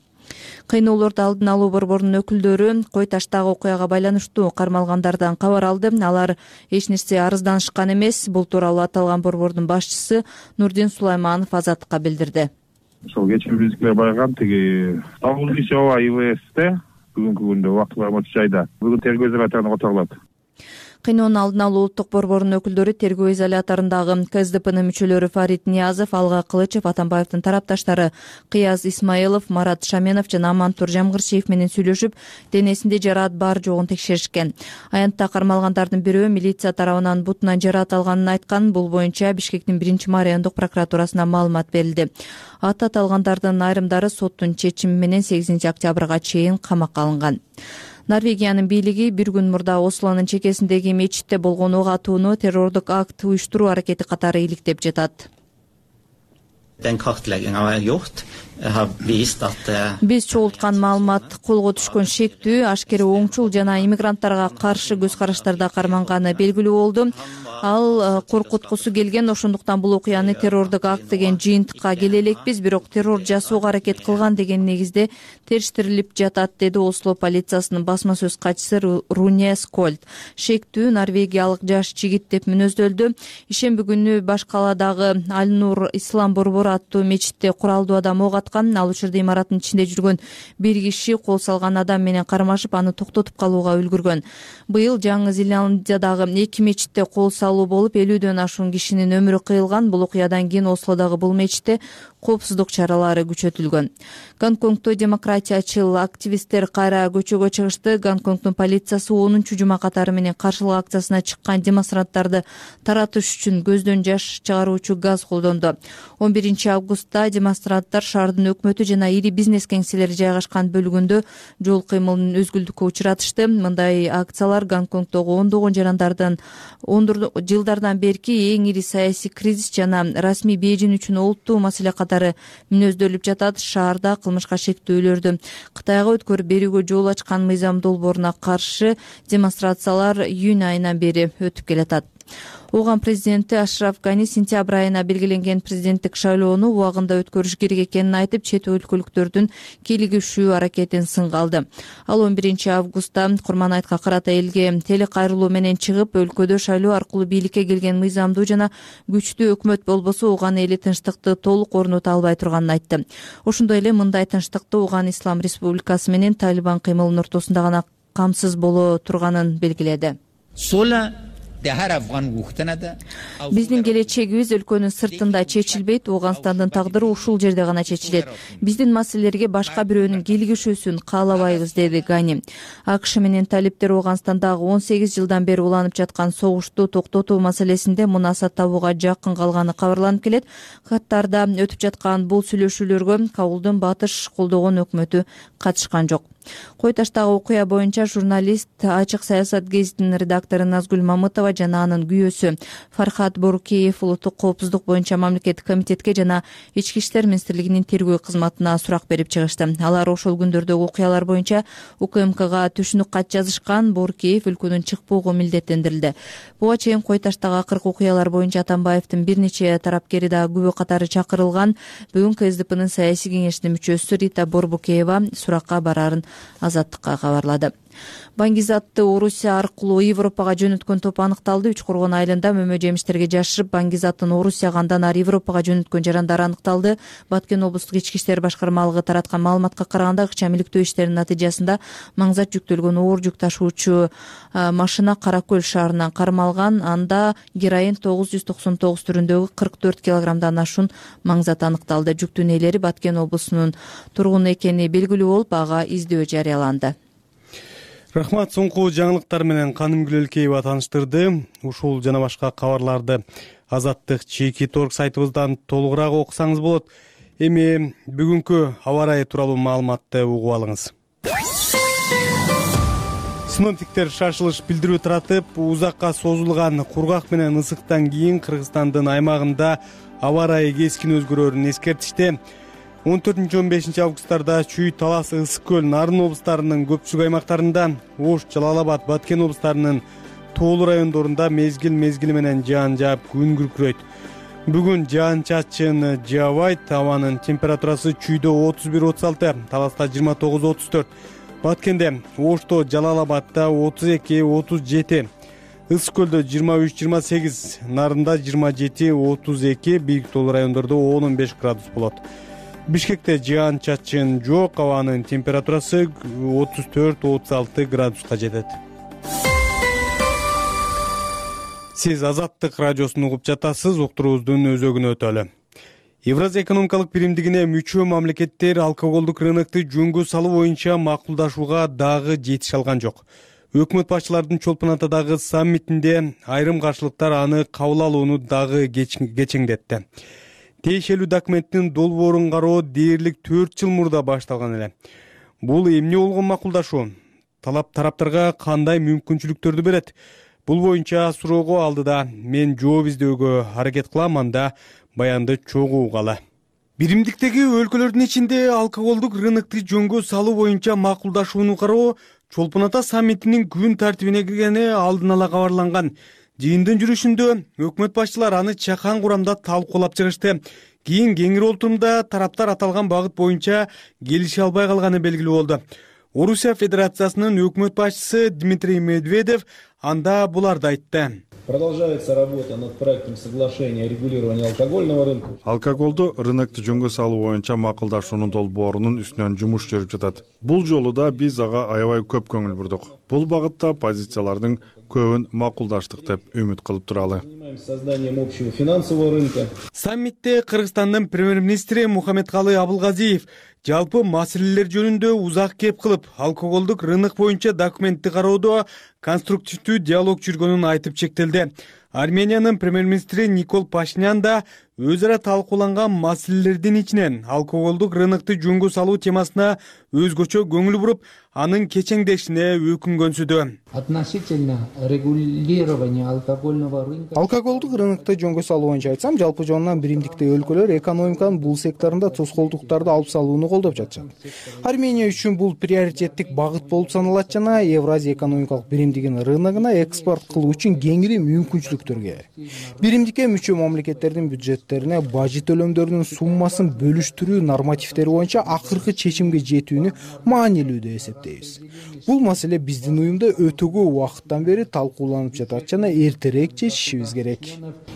Кыйноолорду алдын алуу борборунун өкүлдөрү Кой Таштагы окуяга байланыштуу кармалгандардан кабар алды. Алар эч нерсе арызданышкан эмес. Бул тууралуу аталган борбордун башчысы Нурдин Сулайманов Азаттыкка билдирди. Ошол кечээ бизге барган тиги Абул Ишова ИВСте бүгүнкү күндө убактылуу жайда бүгүн тергөө изоляторуна которулат. Кыйноонун алдын алуу улуттук борборунун өкүлдөрү тергөө изоляторундагы КСДПнын мүчөлөрү Фарид Ниязов, Алга Кылычев, Атамбаевдин тарапташтары Кыяз Исмаилов, Марат Шаменов жана Амантур Жамгырчиев менен сүйлөшүп, денесинде жараат бар жогун текшеришкен. Аянтта кармалгандардын бирөө милиция тарабынан бутунан жараат алганын айткан. Бул боюнча Бишкектин 1-май райондук прокуратурасына маалымат берилди. Ат аталгандардын айрымдары соттун чечими менен 8 октябрга чейин камакка алынган. Норвегиянын бийлиги bir күн мурда Ослонун чекесиндеги мечитте болгон ок атууну террордук акт уюштуруу аракети катары иликтеп жатат. Биз чогулткан маалымат колго түшкөн шектүү, ашкере оңчул жана иммигранттарга каршы көз караштарда карманганы белгилүү болду. Ал коркуткусу келген, ошондуктан бул окуяны террордук акт деген жыйынтыкка келе элекпиз, бирок террор жасоого аракет кылган деген негизде териштирилип жатат, деди Осло полициясынын басма сөз катчысы Руне Скольд. Шектүү норвегиялык жаш жигит деп мүнөздөлдү. Ишемби күнү баш каладагы Аль-Нур Ислам борбору аттуу мечитте куралдуу адам ок аткан. Ал учурда имараттын ичинде жүргөн бир киши кол салган адам менен кармашып, аны токтотуп калууга үлгүргөн. Быйыл Жаңы Зеландиядагы 2 мечитте кол болуп 50дөн ашуун кишинин өмүрү кыйылган. Бул окуядан кийин Ослодогу бул мечитте коопсуздук чаралары күчөтүлгөн. Гонконгдо демократиячыл активисттер кайра көчөгө чыгышты. Гонконгдун полициясы 10 жума катары менен каршылык акциясына чыккан демонстранттарды таратыш үчүн көздөн жаш чыгаруучу газ колдонду. 11 августта демонстранттар шаардын өкмөтү жана ири бизнес кеңселери жайгашкан бөлүгүндө жол кыймылын өзгүлтүккө учуратышты. Мындай акциялар Гонконгдогу ондогон жылдардан берки эң ири саясий кризис жана расмий Бейжин үчүн олуттуу маселе катары мүнөздөлүп жатат. Шаарда кылмышка шектөөлөрдү Кытайга өткөрүп берүүгө жол ачкан мыйзам долбооруна каршы демонстрациялар июнь айынан бери өтүп келатат. Ооган президенти Ашраф Гани сентябрь айына белгиленген президенттик шайлоону убагында өткөрүш керек экенин айтып, чет өлкөлүктөрдүн кийлигишүү аракетин сынга алды. Ал 11 августта Курманайтка карата элге телекайрылуу менен чыгып, өлкөдө шайлоо аркылуу бийликке келген мыйзамдуу жана күчтүү өкмөт болбосо Ооган эли тынчтыкты толук орното албай турганын айтты. Ошондой эле мындай тынчтыкты Ооган Ислам Республикасы менен Талибан кыймылынын ортосунда гана камсыз боло турганын белгиледи. Биздин келечегибиз өлкөнүн сыртында чечилбейт, Ооганстандын тагдыры ушул жерде гана чечилет. Биздин маселелерге башка бирөөнүн кийлигишүүсүн каалабайбыз, деди Гани. АКШ менен талиптер Ооганстандагы 18 жылдан бери уланып жаткан согушту токтотуу маселесинде мунасат табууга жакын калганы кабарланып келет. Катарда өтүп жаткан бул сүйлөшүүлөргө Кабулдун батыш колдогон өкмөтү катышкан жок. Кой таштагы окуя боюнча журналист Ачык саясат гезитинин редактору Назгүл Мамытова жана анын күйөөсү Фархат Борукеев улуттук коопсуздук боюнча мамлекеттик комитетке жана Ички иштер министрлигинин тергөө кызматына сурак берип чыгышты. Алар ошол күндөрдөгү окуялар боюнча УКМКга түшүнүк кат жазышкан. Борукеев өлкөдөн чыкпоого милдеттендирилди. Буга чейин Кой таштагы акыркы окуялар боюнча Атамбаевдин бир нече тарапкери да күбө катары чакырылган. Бүгүн КСДПнын саясий кеңешинин мүчөсү Рита Борбукеева суракка барарын Азаттыкка кабарлады. Баңгизатты Орусия аркылуу Европага жөнөткөн топ аныкталды. Үчкоргон айылында мөмө жемиштерге жашырып, Баңгизаттын Орусияга андан ары Европага жөнөткөн жарандар аныкталды. Баткен облустук ички иштер башкармалыгы тараткан маалыматка караганда, акча иликтөө иштеринин натыйжасында маңзат жүктөлгөн оор жүк ташуучу машина Кара Көл шаарынан кармалган. Анда героин 999 түрүндөгү 44 килограммдан ашуун маңзат аныкталды. Жүктүн ээлери Баткен облусунун тургуну экени белгилүү болуп, ага издөө жарыяланды. Рахмат, соңку жаңылыктар менен Каным Гүлөлкеева тааныштырды. Ушул жана башка кабарларды Азаттык чеки торг сайтыбыздан толугураак окусаңыз болот. Эми бүгүнкү аба ырайы тууралуу маалыматты угуп алыңыз. Синоптиктер шашылыш билдирүү таратып, узакка созулган кургак менен ысыктан кийин Кыргызстандын аймагында аба ырайы кескин өзгөрөрүн эскертишти. 14-15 августтарда Чүй, Талас, Ысык көл, Нарын облустарынын көпчүлүк аймактарында, Ош, Жалал-Абад, Баткен облустарынын тоолуу райондорунда мезгил менен жаан жаап күн күркүрөйт. Бүгүн жаан-чачын жаабайт. Абанын температурасы Чүйдө 31-36, Таласта 29-34, Баткенде, Ошто, Жалал-Абадда 32-37, Ысык көлдө 23-28, Нарында 27-32, бийик тоолуу райондордо 10-15 градус болот. Бишкекте жаан-чачын жок, абанын температурасы 34-36 градуска жетет. Сиз Азаттык радиосун угуп жатасыз, уктуруубуздун өзөгүнө өтөлү. Евразия экономикалык биримдигине мүчө мамлекеттер алкоголдук рынокту жөнгө салуу боюнча макулдашууга дагы жетише алган жок. Өкмөт башчылардын Чолпон Атадагы саммитинде айрым каршылыктар аны кабыл алууну дагы кечеңдетти. Тиешелүү документтин долбоорун кароо дээрлик 4 жыл мурда башталган эле. Бул эмне болгон макулдашуу? Тараптарга кандай мүмкүнчүлүктөрдү берет? Бул боюнча суроого алдыда мен жооп издөөгө аракет кылам, анда баянды чогуу угалы. Биримдиктеги өлкөлөрдүн ичинде алкоголдук рынокту жөнгө салуу боюнча макулдашууну кароо Чолпон Ата саммитинин күн тартибине киргени алдын ала кабарланган. Жыйындын жүрүшүндө өкмөт башчылары аны чакан курамда талкуулап чыгышты. Кийин кеңири отурумда тараптар аталган багыт боюнча келише албай калганы белгилүү болду. Орусия Федерациясынын өкмөт башчысы Дмитрий Медведев анда буларды айтты. Продолжается работа над проектом соглашения о регулировании алкогольного рынка. Алкоголду рынокту жөнгө салуу боюнча макулдашуунун долбоорунун үстүнөн жумуш жүрүп жатат. Бул жолу да биз ага аябай көп көңүл бурдук. бул багытта позициялардын көбүн макулдаштык деп үмүт кылып туралы. Созданием общего финансового рынка. Саммитте Кыргызстандын премьер-министри Мухаммедкалый Абылгазиев жалпы маселелер жөнүндө узак кеп кылып, алкоголдук рынок боюнча документти кароодо конструктивдүү диалог жүргөнүн айтып чектелди. Армениянын премьер-министри Никол Пашинян да өз ара талкууланган маселелердин ичинен алкоголдук рынокту жөнгө салуу темасына өзгөчө көңүл буруп, анын кечеңдешине өкүнгөнсүдү. Относительно регулирования алкогольного рынка. Алкоголдук рынокто жөнгө салуу боюнча айтсам, жалпы жонунан биримдикте өлкөлөр экономиканын бул секторунда тоскоолдуктарды алып салууну колдоп жатышат. Армения үчүн бул приоритеттик багыт болуп саналат жана Евразия экономикалык биримдигинин рыногуна экспорт кылуу үчүн кеңири мүмкүнчүлүктөргө. Биримдикке мүчө мамлекеттердин бюджеттерине бажы төлөмдөрүнүн суммасын бөлүштүрүү нормативдери боюнча акыркы чечимге жетүүнү маанилүү деп эсептейбиз. Бул маселе биздин уюмда өтө көп убакыттан бери талкууланып жатат жана эртерээк чечишибиз керек.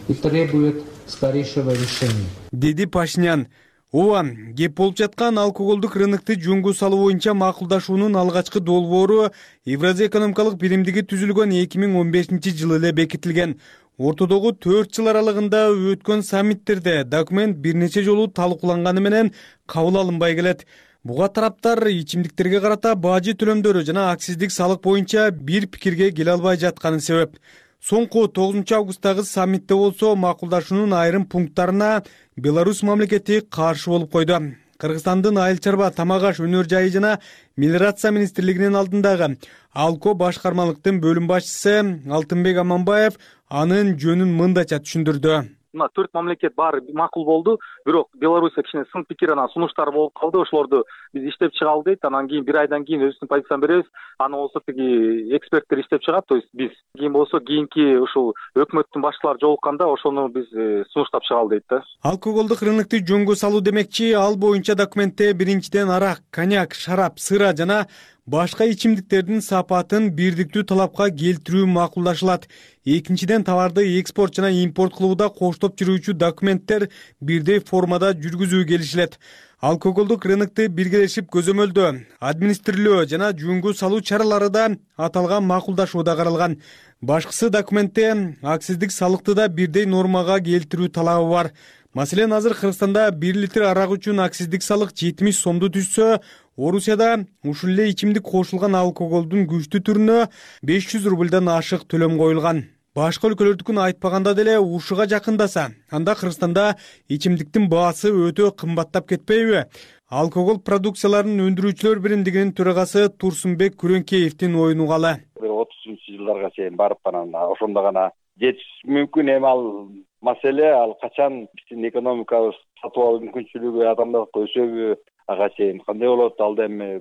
И требует скорейшего решения. Деди Пашинян. Ооба, кеп болуп жаткан алкоголдук рынокту жөнгө салуу боюнча макулдашуунун алгачкы долбоору Евразия экономикалык биримдиги түзүлгөн 2015-жылы эле бекитилген. Ортодогу 4 жыл аралыгында өткөн саммиттерде документ бир нече жолу талкууланганы менен кабыл алынбай келет. Буга тараптар ичимдиктерге карата бажы төлөмдөрү жана акциздик салык боюнча бир пикирге келе албай жатканы себеп. Соңку 9 августтагы саммитте болсо макулдашуунун айрым пункттарына Беларусь мамлекети каршы болуп койду. Кыргызстандын айыл чарба, тамак аш, өнөр жайы жана мелиорация министрлигинин алдындагы Алко башкармалыктын бөлүм башчысы Алтынбек Аманбаев анын жөнүн мындайча түшүндүрдү. Мына 4 мамлекет баары макул болду, бирок Беларусь кичине сын пикир, анан сунуштар болуп калды. Ошолорду биз иштеп чыгалы дейт. Анан кийин бир айдан кийин өзүбүздүн позицияны беребиз. Аны болсо тиги эксперттер иштеп чыгат. То есть биз кийин болсо кийинки ушул өкмөттүн башчылары жолукканда ошону биз сунуштап чыгалы дейт да. Алкоголдук рынокту жөнгө салуу демекчи, ал боюнча документте биринчиден арак, коньяк, шарап, сыра жана башка ичимдиктердин сапатын бирдиктүү талапка келтирүү макулдашылат. Экинчиден товарды экспорт жана импорт кылууда коштоп жүрүүчү документтер бирдей формада жүргүзүү келишилет. Алкоголдук рынокту биргелешип көзөмөлдөө, администрирөө жана жөнгө салуу чаралары да аталган макулдашууда каралган. Башкысы документте акциздик салыкты да бирдей нормага келтирүү талабы бар. Маселен, азыр Кыргызстанда 1 литр арак үчүн акциздик салык 70 сомду түзсө, Орусияда ушул эле ичимдик кошулган алкоголдун күчтүү түрүнө 500 рубльдан ашык төлөм коюлган. Башка өлкөлөрдүкүн айтпаганда деле ушуга жакындаса, анда Кыргызстанда ичимдиктин баасы өтө кымбаттап кетпейби? Алкогол продукцияларын өндүрүүчүлөр биримдигинин төрагасы Турсунбек Күрөнкеевдин оюн угалы. 30-жылдарга чейин барып анан ошондо гана жетиш мүмкүн. Эми ал маселе ал качан биздин экономикабыз сатып алуу мүмкүнчүлүгү адамдардыкы өсөбү, ага чейин кандай болот, ал да эми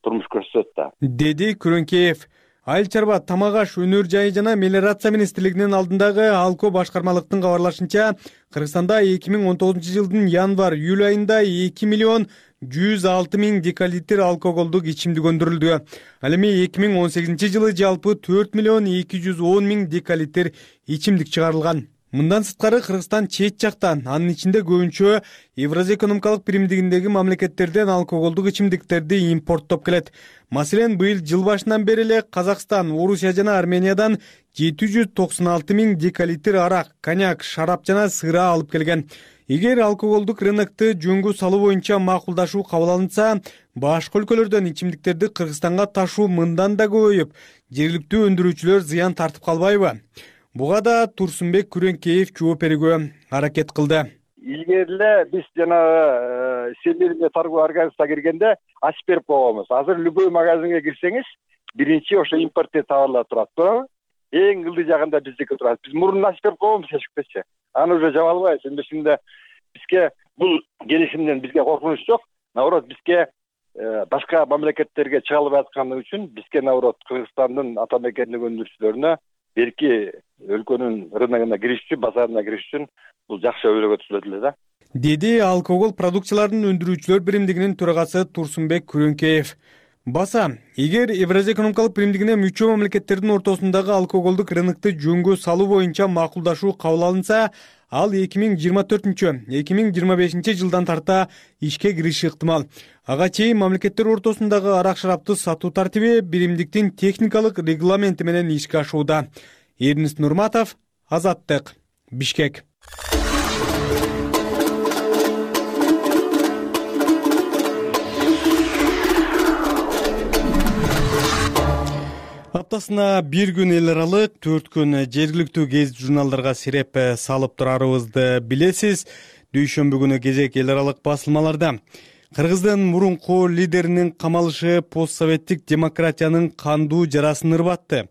турмуш көрсөтөт да. Деди Күрөнкеев. Айыл чарба, тамак аш, өнөр жайы жана мелиорация министрлигинин алдындагы Алко башкармалыктын кабарлашынча, Кыргызстанда 2019-жылдын январь-июль айында 2.106.000 декалитр алкоголдук ичимдик өндүрүлдү. Ал эми 2018-жылы жалпы 4.210.000 декалитр ичимдик чыгарылган. Мындан сырткары Кыргызстан чет жактан, анын ичинде көбүнчө Евразия экономикалык биримдигиндеги мамлекеттерден алкоголдук ичимдиктерди импорттоп келет. Маселен, быйыл жыл башынан бери эле Казакстан, Орусия жана Армениядан 796.000 декалитр арак, коньяк, шарап жана сыра алып келген. Эгер алкоголдук рынокту жөнгө салуу боюнча макулдашуу кабыл алынса, башка өлкөлөрдөн ичимдиктерди Кыргызстанга ташуу мындан да көбөйүп, жергиликтүү өндүрүүчүлөр зыян тартып калбайбы? Буга да Турсунбек Күрөнкеев жооп берүүгө аракет кылды. Илгери эле биз жанагы сийлерге торговый организацияга киргенде ачып берип койгонбуз. Азыр любой магазинге кирсеңиз, биринчи ошо импорттер товарлар турат. Туурабы? Эң ылдый жагында биздики турат. Биз мурун ачып берип койгонбуз эшикти. Аны уже жаба албайбыз. Эми бизге бул келишимден бизге коркунуч жок. Наоборот, бизге башка мамлекеттерге чыга албай атканы үчүн бизге наоборот Кыргызстандын ата мекендик өндүрүүчүлөрүнө берки өлкөнүн рыногуна кириш үчүн, базарына кириш үчүн бул жакшы өбөлгө түзүлөт эле да. Деди алкогол продукцияларын өндүрүүчүлөр биримдигинин төрагасы Турсунбек Күрөнкеев. Баса, эгер Евразия экономикалык биримдигине мүчө мамлекеттердин ортосундагы алкоголдук рынокту жөнгө салуу боюнча макулдашуу кабыл алынса, ал 2024-2025 жылдан тарта ишке кириши ыктымал. Ага чейин мамлекеттер ортосундагы арак шарапты сатуу тартиби биримдиктин техникалык регламенти менен ишке ашууда. Эрнест Нурматов, Азаттык, Бишкек. Аптасына бир күн эл аралык, 4 күн жергиликтүү гезит журналдарга сиреп салып турарыбызды билесиз. Дүйшөмбү күнү кезек эл аралык басылмаларда. Кыргыздын мурунку лидеринин камалышы постсоветтик демократиянын кандуу жарасын ырбатты.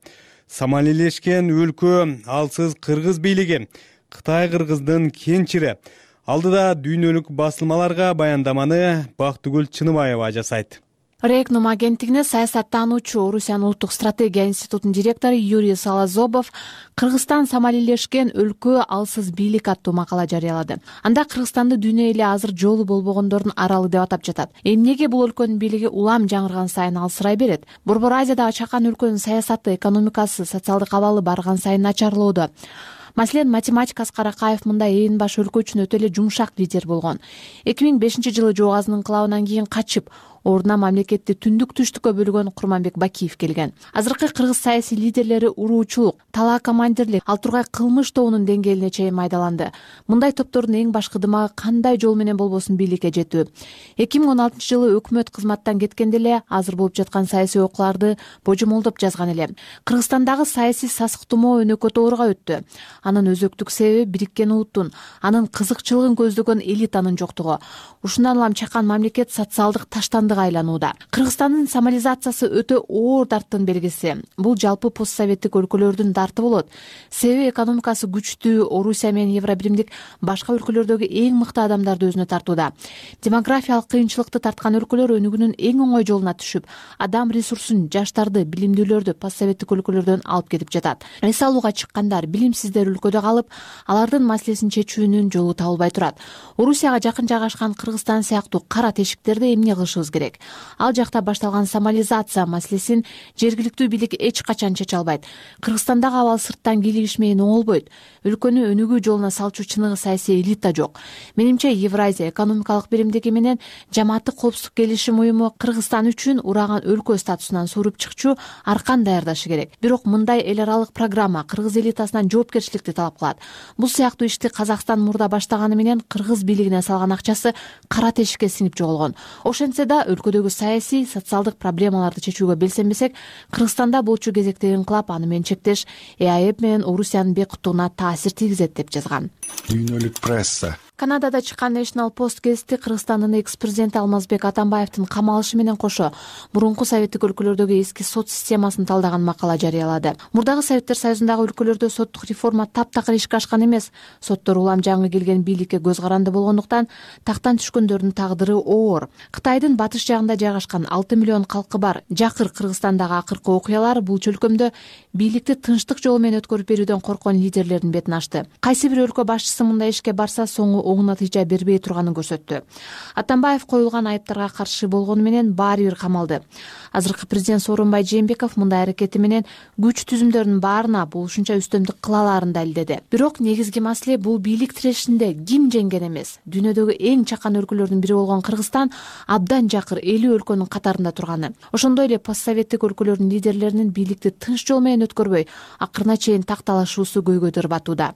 Самалийлешкен өлкө алсыз кыргыз бийлиги, Кытай кыргыздын кенчири. Алдыда дүйнөлүк басылмаларга баяндаманы Бактыгүл Чыныбаева жасайт. Рекном агенттигине саясаттануучу Орусиянын улуттук стратегия институтунун директору Юрий Салазобов Кыргызстан самалийлешкен өлкө алсыз бийлик аттуу макала жарыялады. Анда Кыргызстанды дүйнө эли азыр жолу болбогондордун аралы деп атап жатат. Эмнеге бул өлкөнүн бийлиги улам жаңырган сайын алсырай берет? Борбор Азиядагы чакан өлкөнүн саясаты, экономикасы, социалдык абалы барган сайын начарлоодо. Маселен, математик Аскар Акаев мындай ээн баш өлкө үчүн өтө эле жумшак лидер болгон. 2005-жылы Жоо Азынын кылабынан кийин качып, ордуна мамлекетти түндүк-түштүккө бөлгөн Курманбек Бакиев келген. Азыркы кыргыз саясий лидерлери уруучулук, талаа командирлик, ал тургай кылмыш тобунун деңгээлине чейин майдаланды. Мындай топтордун эң башкы дымагы кандай жол менен болбосун бийликке жетүү. 2016-жылы өкмөт кызматтан кеткенде эле азыр болуп жаткан саясий окууларды божомолдоп жазган эле. Кыргызстандагы саясий сасык тумоо өнөкөт ооруга өттү. Анын өзөктүк себеби бириккен улуттун, анын кызыкчылыгын көздөгөн элитанын жоктугу. Ушундан улам чакан мамлекет социалдык таштандык айланууда. Кыргызстандын самализациясы өтө оор дарттын белгиси. Бул жалпы постсоветтик өлкөлөрдүн дарты болот. Себеби экономикасы күчтүү Орусия менен Евробиримдик башка өлкөлөрдөгү эң мыкты адамдарды өзүнө тартууда. Демографиялык кыйынчылыкты тарткан өлкөлөр өнүгүүнүн эң оңой жолуна түшүп, адам ресурсун, жаштарды, билимдүүлөрдү постсоветтик өлкөлөрдөн алып кетип жатат. Эс алууга чыккандар, билимсиздер өлкөдө калып, алардын маселесин чечүүнүн жолу табылбай турат. Орусияга жакын жайгашкан Кыргызстан сыяктуу кара тешиктерди эмне кылышыбыз керек? Ал жакта башталган самализация маселесин жергиликтүү бийлик эч качан чече албайт. Кыргызстандагы абал сырттан кийлигиш менен оңолбойт. Өлкөнү өнүгүү жолуна салчу чыныгы саясий элита жок. Менимче Евразия экономикалык биримдиги менен жамааттык коопсуздук келишим уюму Кыргызстан үчүн ураган өлкө статусунан суруп чыкчу аркан даярдашы керек. Бирок мындай эл аралык программа кыргыз элитасынан жоопкерчиликти талап кылат. Бул сыяктуу ишти Казакстан мурда баштаганы менен кыргыз бийлигине салган акчасы кара тешикке сиңип жоголгон. Ошентсе да өлкөдөгү саясий, социалдык проблемаларды чечүүгө белсенбесек, Кыргызстанда болчу кезектеги инкылап аны менен чектеш ЭАЭП менен Орусиянын бейкуттугуна таасир тийгизет деп жазган. Дүйнөлүк пресса. Канадада чыккан National Post гезити Кыргызстандын экс-президенти Алмазбек Атамбаевдин камалышы менен кошо мурунку советтик өлкөлөрдөгү эски сот системасын талдаган макала жарыялады. Мурдагы Советтер Союзундагы өлкөлөрдө соттук реформа таптакыр ишке ашкан эмес. Соттор улам жаңы келген бийликке көз каранды болгондуктан тактан түшкөндөрдүн тагдыры оор. Кытайдын батыш жагында жайгашкан 6 миллион калкы бар Жакыр Кыргызстандагы акыркы окуялар бул чөлкөмдө бийликти тынчтык жолу менен өткөрүп берүүдөн корккон лидерлердин бетин ачты. Кайсы бир өлкө башчысы мындай ишке барса соңу оң натыйжа бербей турганын көрсөттү. Атамбаев коюлган айыптарга каршы болгону менен баары бир камалды. Азыркы президент Сооронбай Жээнбеков мындай аракети менен күч түзүмдөрдүн баарына болушунча үстөмдүк кыла аларын далилдеди. Бирок негизги маселе бул бийлик тирешинде ким жеңген эмес. Дүйнөдөгү эң чакан өлкөлөрдүн бири болгон Кыргызстан абдан жакыр 50 өлкөнүн катарында турганы. Ошондой эле постсоветтик өлкөлөрдүн лидерлеринин бийликти тынч жол менен өткөрбөй, акырына чейин такталашуусу көйгөйдө ырбатууда.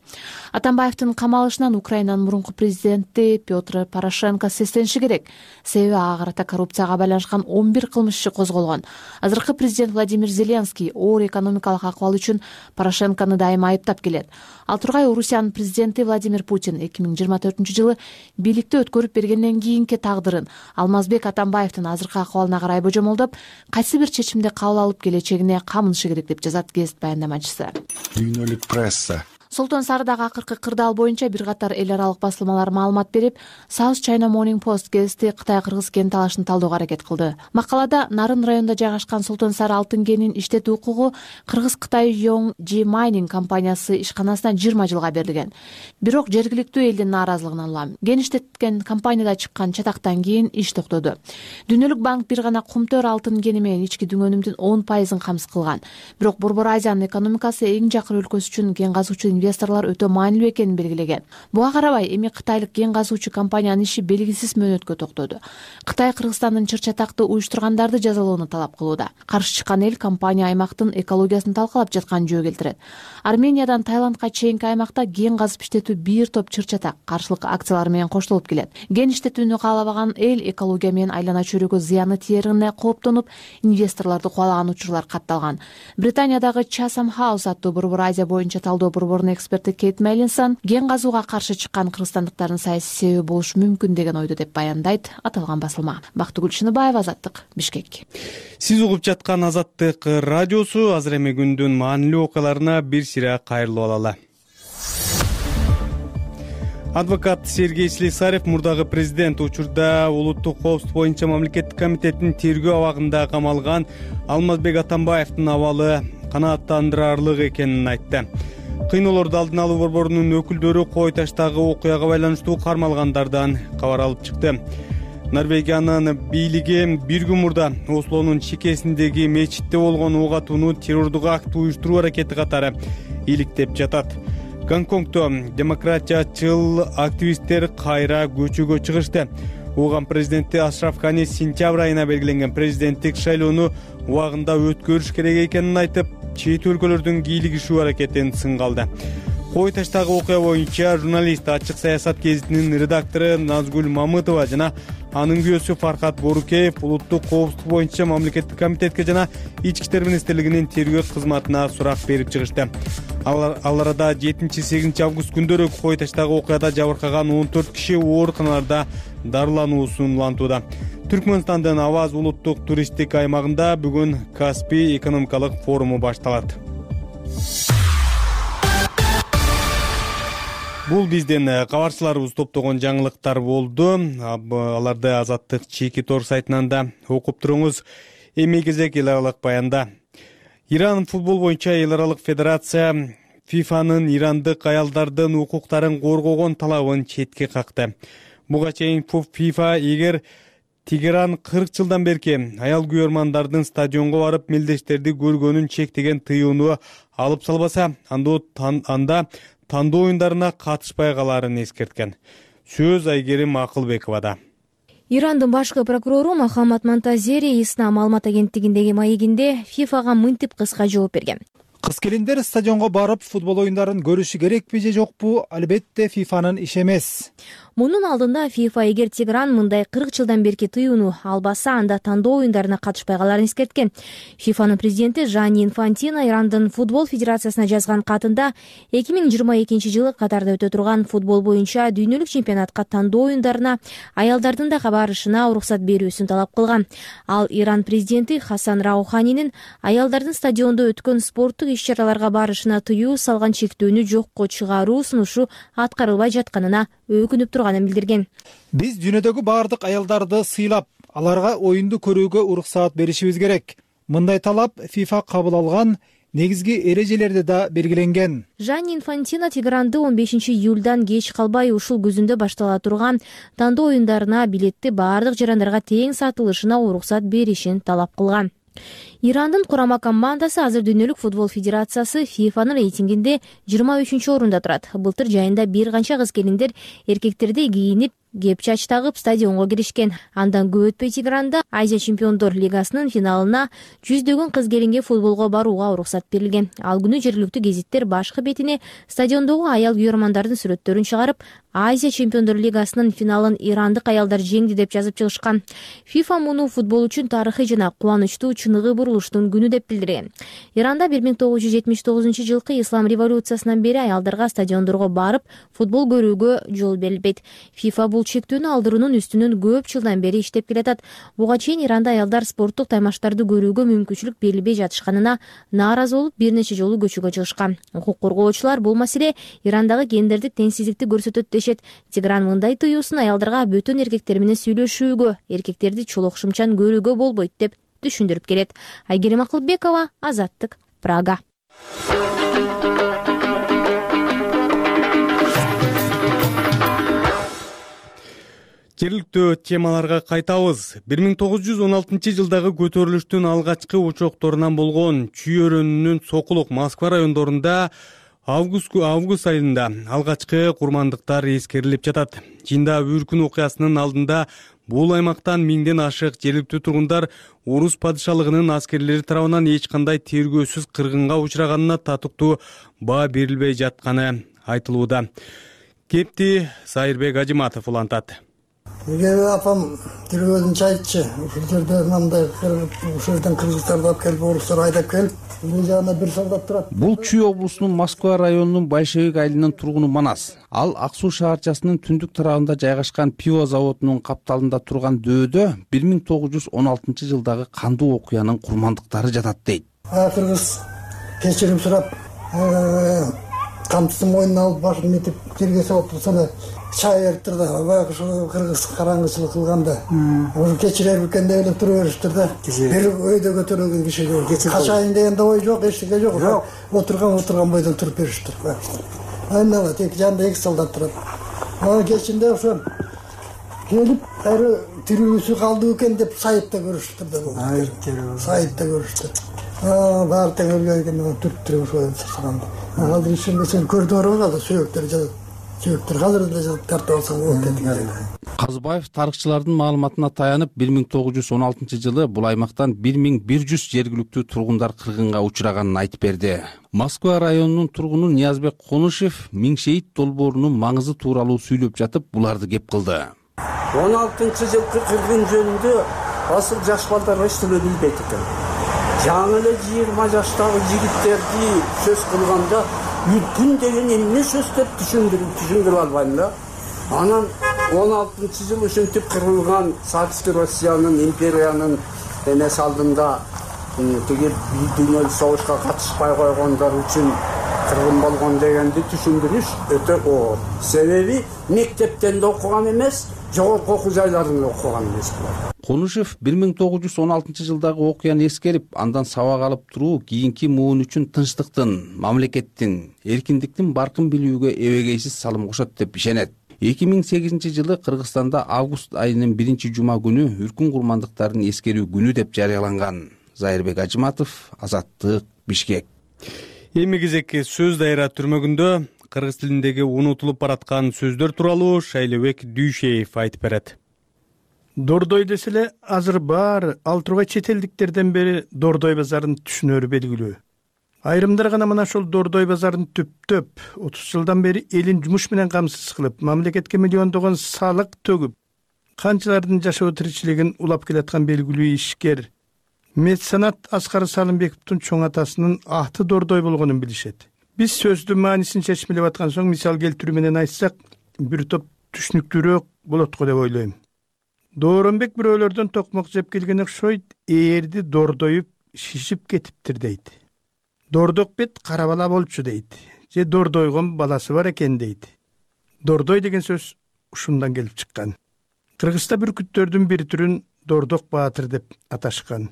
Атамбаевдин камалышынан Украинанын мурунку президенти Петр Порошенко сестениши керек. Себеби ага карата коррупцияга байланышкан 11 кылмыш иши козголгон. Азыркы президент Владимир Зеленский оор экономикалык акыбал үчүн Порошенкону дайыма айыптап келет. Ал тургай Орусиянын президенти Владимир Путин 2024-жылы бийликти өткөрүп бергенден кийинки тагдырын Алмазбек Атамбаевдин азыркы акыбалына карай божомолдоп, кайсы бир чечимди кабыл алып келечегине камынышы керек деп жазат гезит баяндамачысы. Дүйнөлүк пресса. Солтон Сарыдагы акыркы кырдаал боюнча бир катар эл аралык басылмалар маалымат берип, South China Morning Post гезити Кытай-Кыргыз кен талашын талдөөгө аракет кылды. Макалада Нарын районунда жайгашкан Солтон Сары алтын кенин иштетүү укугу Кыргыз-Кытай Yongji Mining компаниясы ишканасына 20 жылга берилген. Бирок жергиликтүү элдин нааразылыгынан улам кен иштеткен компанияда чыккан чатактан кийин иш токтоду. Дүйнөлүк банк бир гана кумтөр алтын кени менен ички дүңөнүмдүн 10% камсыз кылган. Бирок Борбор Азиянын экономикасы эң жакыр өлкөсү үчүн кен казуучу инвесторлор өтө маанилүү экенин белгилеген. Буга карабай эми кытайлык кен казуучу компаниянын иши белгисиз мөөнөткө токтоду. Кытай Кыргызстандын чыр чатакты уюштургандарды жазалоону талап кылууда. Каршы чыккан эл компания аймактын экологиясын талкалап жатканын жөө келтирет. Армениядан Таиландка чейинки аймакта кен казып иштетүү бир топ чыр чатак каршылык акциялар менен коштолуп келет. Кен иштетүүнү каалабаган эл экология менен айлана чөйрөгө зыяны тиерине кооптонуп, инвесторлорду кубалаган учурлар катталган. Британиядагы Chatham House аттуу Борбор Азия боюнча талдоо борборунун эксперти Кейт Меллинсон кен казууга каршы чыккан кыргызстандыктардын саясий себеби болушу мүмкүн деген ойду деп баяндайт аталган басылма. Бактыгүл Шыныбаева, Азаттык, Бишкек. Сиз угуп жаткан Азаттык радиосу. Азыр эми күндүн маанилүү окуяларына бир сыйра кайрылып алалы. Адвокат Сергей Слесарев мурдагы президент учурда улуттук коопсуздук боюнча мамлекеттик комитеттин тергөө абагында камалган Алмазбек Атамбаевдин абалы канааттандырарлык экенин айтты. Кыйноолорду алдын алуу борборунун өкүлдөрү Кой Таштагы окуяга байланыштуу кармалгандардан кабар алып чыкты. Норвегиянын бийлиги бир күн мурда Ослонун чекесиндеги мечитте болгон ок атууну террордук акт уюштуруу аракети катары иликтеп жатат. Гонконгдо демократиячыл активисттер кайра көчөгө чыгышты. Уган президенти Ашраф Гани сентябрь айына белгиленген президенттик шайлоону убагында өткөрүш керек экенин айтып, чет өлкөлөрдүн кийлигишүү аракетин сынга алды. Кой Таштагы окуя боюнча журналист Ачык саясат гезитинин редактору Назгүл Мамытова жана анын күйөөсү Фархат Борукеев улуттук коопсуздук боюнча мамлекеттик комитетке жана Ички иштер министрлигинин тергөө кызматына сурак берип чыгышты. Ал арада 7-8 август күндөрү Кой Таштагы окуяда жабыркаган 14 киши ооруканаларда дарылануусун улантууда. Түркмөнстандын Аваз улуттук туристтик аймагында бүгүн Каспий экономикалык форуму башталат. Бул биздин кабарчыларыбыз топтогон жаңылыктар болду. Аларды Азаттык чеки тор сайтынан да окуп туруңуз. Эми кезек эл аралык баянда. Иран футбол боюнча эл аралык федерация ФИФАнын ирандык аялдардын укуктарын коргогон талабын четке какты. Буга чейин ФИФА эгер Тегеран 40 жылдан берки аял күйөрмандардын стадионго барып мелдештерди көргөнүн чектеген тыюуну алып салбаса, анда тандоо оюндарына катышпай калаарын эскерткен. Сөз Айгерим Акылбековада. Ирандын башкы прокурору Мохаммад Монтазери Ислам маалымат агенттигиндеги маегинде ФИФАга мынтип кыска жооп берген. Кыз-келиндер стадионго барып футбол оюндарын көрүшү керекпи же жокпу? Албетте ФИФАнын иши эмес. Мунун алдында ФИФА эгер Тегеран мындай 40 жылдан берки тыюуну албаса, анда тандоо оюндарына катышпай калаарын эскерткен. ФИФАнын президенти Жанни Инфантино Ирандын футбол федерациясына жазган катында 2022 жылы Катарда өтө турган футбол боюнча дүйнөлүк чемпионатка тандоо оюндарына аялдардын да барышына уруксат берүүсүн талап кылган. Ал Иран президенти Хасан Рауханинин аялдардын стадиондо өткөн спорттук иш-чараларга барышына тыюу салган чектөөнү жокко чыгаруу сунушу аткарылбай жатканына өкүнүп турганын билдирген. Биз дүйнөдөгү баардык аялдарды сыйлап, аларга оюнду көрүүгө уруксаат беришибиз керек. Мындай талап ФИФА кабыл алган негизги эрежелерде да белгиленген. Жанни Инфантино Тегеранды 15 июлдан кеч калбай ушул күзүндө баштала турган тандоо оюндарына билетти баардык жарандарга тең сатылышына уруксат беришин талап кылган. Ирандын курама командасы азыр дүйнөлүк футбол федерациясы ФИФАнын рейтингинде 23-орунда турат. Былтыр жайында бир канча кыз-келиндер эркектердей кийинип, кепчач тагып стадионго киришкен. Андан көп өтпөй Тегеранда Азия чемпиондор лигасынын финалына 100дөгөн кыз-келинге футболго барууга уруксат берилген. Ал күнү жергиликтүү гезиттер башкы бетине стадиондогу аял күйөрмандардын сүрөттөрүн чыгарып, Азия чемпиондор лигасынын финалын ирандык аялдар жеңди деп жазып чыгышкан. ФИФА муну футбол үчүн тарыхый жана кубанычтуу чыныгы бурулуштун күнү деп билдирген. Иранда 1979-жылкы ислам революциясынан бери аялдарга стадиондорго барып футбол көрүүгө жол берилбейт. ФИФА бул чектүүнү алдыруунун үстүнөн көп жылдан бери иштеп келатат. Буга чейин Иранда аялдар спорттук таймаштарды көрүүгө мүмкүнчүлүк берилбей жатышканына нааразы болуп бир нече жолу көчөгө чыгышкан. Укук коргоочулар бул маселе Ирандагы гендердик теңсиздикти көрсөтөт дешет. Тегеран мындай тыюусын аялдарга бөтөн эркектер менен сүйлөшүүгө, эркектерди чолок-шымчан көрүүгө болбойт деп түшүндүрүп келет. Айгерим Акылбекова, Азаттык, Прага. Жергиликтүү темаларга кайтабыз. 1916-жылдагы көтөрүлүштүн алгачкы учокторунан болгон чүй өрөөнүнүн Сокулук, Москва райондорунда август айында алгачкы курмандыктар эскерилип жатат. Жиында Үркүн окуясынын алдында бул аймактан 1000ден ашык жергиликтүү тургундар орус падышалыгынын аскерлери тарабынан эч кандай тергөөсүз кыргынга учраганына татыктуу баа берилбей жатканы айтылууда. Кепти Сайырбек Ажыматов улантат. Апам тергөөдүнчө айтчы, ушул жерде мындай ушул жерден Кыргызстандан алып келип, орустар айдап келип, бул жагында бир солдат турат. Бул Чүй облусунун Москва районунун Большевик айылынын тургуну Манас. Ал Ак Суу шаарчасынын түндүк тарабында жайгашкан пиво заводунун капталында турган дөөдө 1916-жылдагы кандуу окуянын курмандыктары жатат дейт. Кыргыз кечирим сурап, камчысын мойнуна алып башын метип жерге салып турса, чай берип турду. Баягы ушул кыргыз караңгычылык кылганда, ошо кечирер экен деп элеп тура беришти да. Бир өйдө көтөрүлгөн кишиге качайын дегенде ой жок, эчтеке жок. Отурган бойдон туруп беришти. Айнала тек жанында 2 солдат турат. Кечинде ошо келип, тирүүсү калды экен деп сайытта көрүштү да. Сайытта көрүштү. Баары тең өлгөн экен, түрттүрүп ошо сырсаганда. Азыр ишенбесең көрдү барбы, сөөктөр жатат. Сөөктөр азыр эле тартып алсаң болот деди. Казыбаев тарыхчылардын маалыматына таянып, 1916-жылы бул аймактан 1100 жергиликтүү тургундар кыргынга учраганын айтып берди. Москва районунун тургуну Ниязбек Конушев Миңшейит долбоорунун маңызы тууралуу сүйлөп жатып, буларды кеп кылды. 16-жылкы кыргын жөнүндө асыл жаш балдар эчтеке билбейт экен. Жаңы эле 20 жаштагы жигиттерди сөз кылганда үткүн деген эмне сөз деп түшүндүрүп албайм да. Анан 16-жыл ушинтип кырылган Советский Россиянын, империянын эмес алдында тиги дүйнөлүк согушка катышпай койгондор үчүн кыргын болгон дегенди түшүндүрүш өтө оор. Себеби мектептен да окуган эмес, жогорку окуу жайларында окуган эмес булар. Конушев 1916-жылдагы окуяны эскерип, андан сабак алып туруу кийинки муун үчүн тынчтыктын, мамлекеттин, эркиндиктин баркын билүүгө эбегейсиз салым кошот деп ишенет. 2008-жылы Кыргызстанда август айынын 1-жума күнү Үркүн курмандыктарын эскерүү күнү деп жарыяланган. Зайырбек Ажыматов, Азаттык, Бишкек. Эми кезекке сөз дайра түрмөгүндө кыргыз тилиндеги унутулуп бараткан сөздөр тууралуу Шайлебек Дүйшеев айтып берет. Дордой деселе азыр баары ал тургай чет элдиктерден бери Дордой базарын түшүнөрү белгилүү. Айрымдар гана мына ошол Дордой базарын түптөп, 30 жылдан бери элин жумуш менен камсыз кылып, мамлекетке миллиондогон салык төгүп, канчалардын жашоо тиричилигин улап келаткан белгилүү ишкер меценат Аскар Салымбековдун чоң атасынын аты Дордой болгонун билишет. Биз сөздүн маанисин чечмелеп аткан соң мисал келтирүү менен айтсак, бир топ түшүнүктүүрөөк болот го деп ойлойм. Дооронбек бирөөлөрдөн токмок жеп келген окшойт, ээрди дордоюп шишип кетиптир дейт. Дордок бет кара бала болчу дейт. Же дордойгон баласы бар экен дейт. Дордой деген сөз ушундан келип чыккан. Кыргызда бүркүттөрдүн бир түрүн Дордок баатыр деп аташкан.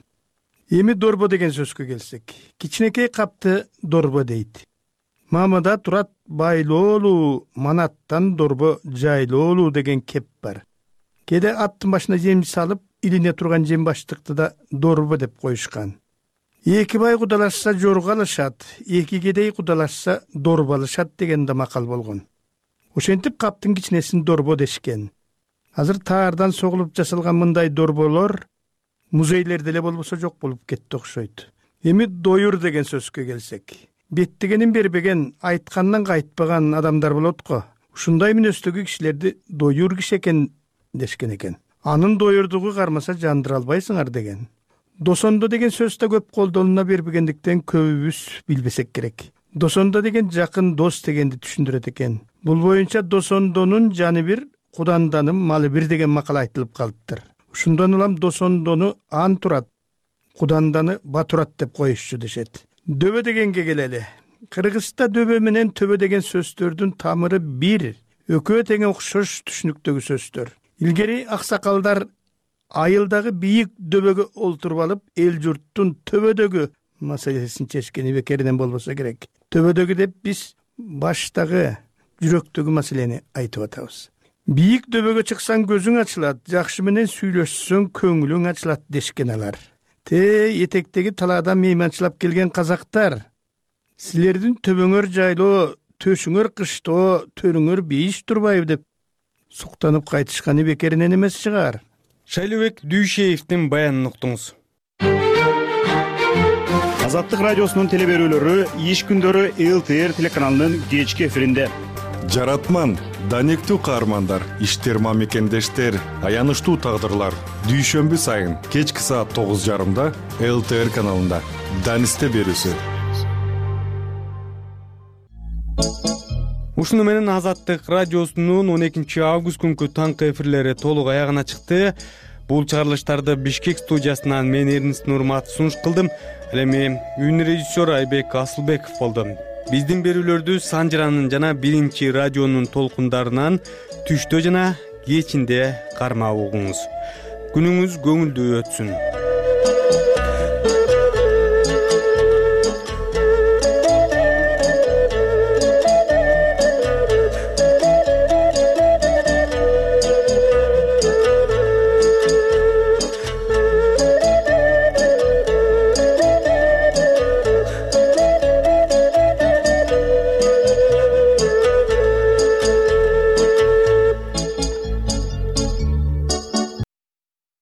Эми дорбо деген сөзгө келсек, кичинекей капты дорбо дейт. Мамада турат байлоолуу, манаттан дорбо жайлоолуу деген кеп бар. Кээде аттын башына жем салып, илине турган жем баштыкты да дорбо деп коюшкан. Эки бай кудалашса жорго алышат, эки кедей кудалашса дорбо алышат деген да макал болгон. Ошентип каптын кичинесин дорбо дешкен. Азыр таардан согулуп жасалган мындай дорболор музейлерде эле болбосо жок болуп кетти окшойт. Эми доюр деген сөзгө келсек, беттигенин бербеген, айткандан кайтпаган адамдар болот го. Ушундай мүнөздөгү кишилерди доюр киши экен дешкен экен. Анын доюрдугу кармаса жандыра албайсыңар деген. Досондо деген сөз да көп колдолуна бербегендиктен көбүбүз билбесек керек. Досондо деген жакын дос дегенди түшүндүрөт экен. Бул боюнча досондонун жаны бир, куданданын малы бир деген макал айтылып калыптыр. Ушундан улам досондону ан турат, куданданы батурат деп коюшчу дешет. Дөбө дегенге келели. Кыргызда дөбө менен төбө деген сөздөрдүн тамыры бир, экөө тең окшош түшүнүктөгү сөздөр. Илгери аксакалдар айылдагы бийик дөбөгө олтуруп алып, эл журттун төбөдөгү маселесин чечкени бекеринен болбосо керек. Төбөдөгү деп биз баштагы, жүрөктөгү маселени айтып атабыз. Бийик дөбөгө чыксаң көзүң ачылат, жакшы менен сүйлөшсөң көңүлүң ачылат дешкен алар. Этектеги талаадан мейманчылап келген казактар силердин төбөңөр жайлоо, төшүңөр кыштоо, төрүңөр бейиш турбайбы деп суктанып кайтышканы бекеринен эмес чыгар. Шайлообек Дүйшеевдин баянын уктуңуз. Азаттык радиосунун теле берүүлөрү иш күндөрү ЛТР телеканалынын кечки эфиринде. Жаратман, данектүү каармандар, иштер мамекендештер, аянычтуу тагдырлар. Дүйшөмбү сайын кечки саат 9:30 ЛТР каналында. Данисте берүүсү. Ушуну менен Азаттык радиосунун 12 август күнкү таңкы эфирлери толук аягына чыкты. Бул чыгарылыштарды Бишкек студиясынан мен Эрнест Нурматов сунуш кылдым. Ал эми үн режиссер Айбек Асылбеков болду. Биздин берүүлөрдү Санжыранын жана биринчи радионун толкундарынан түштө жана кечинде кармап угуңуз. Күнүңүз көңүлдүү өтсүн.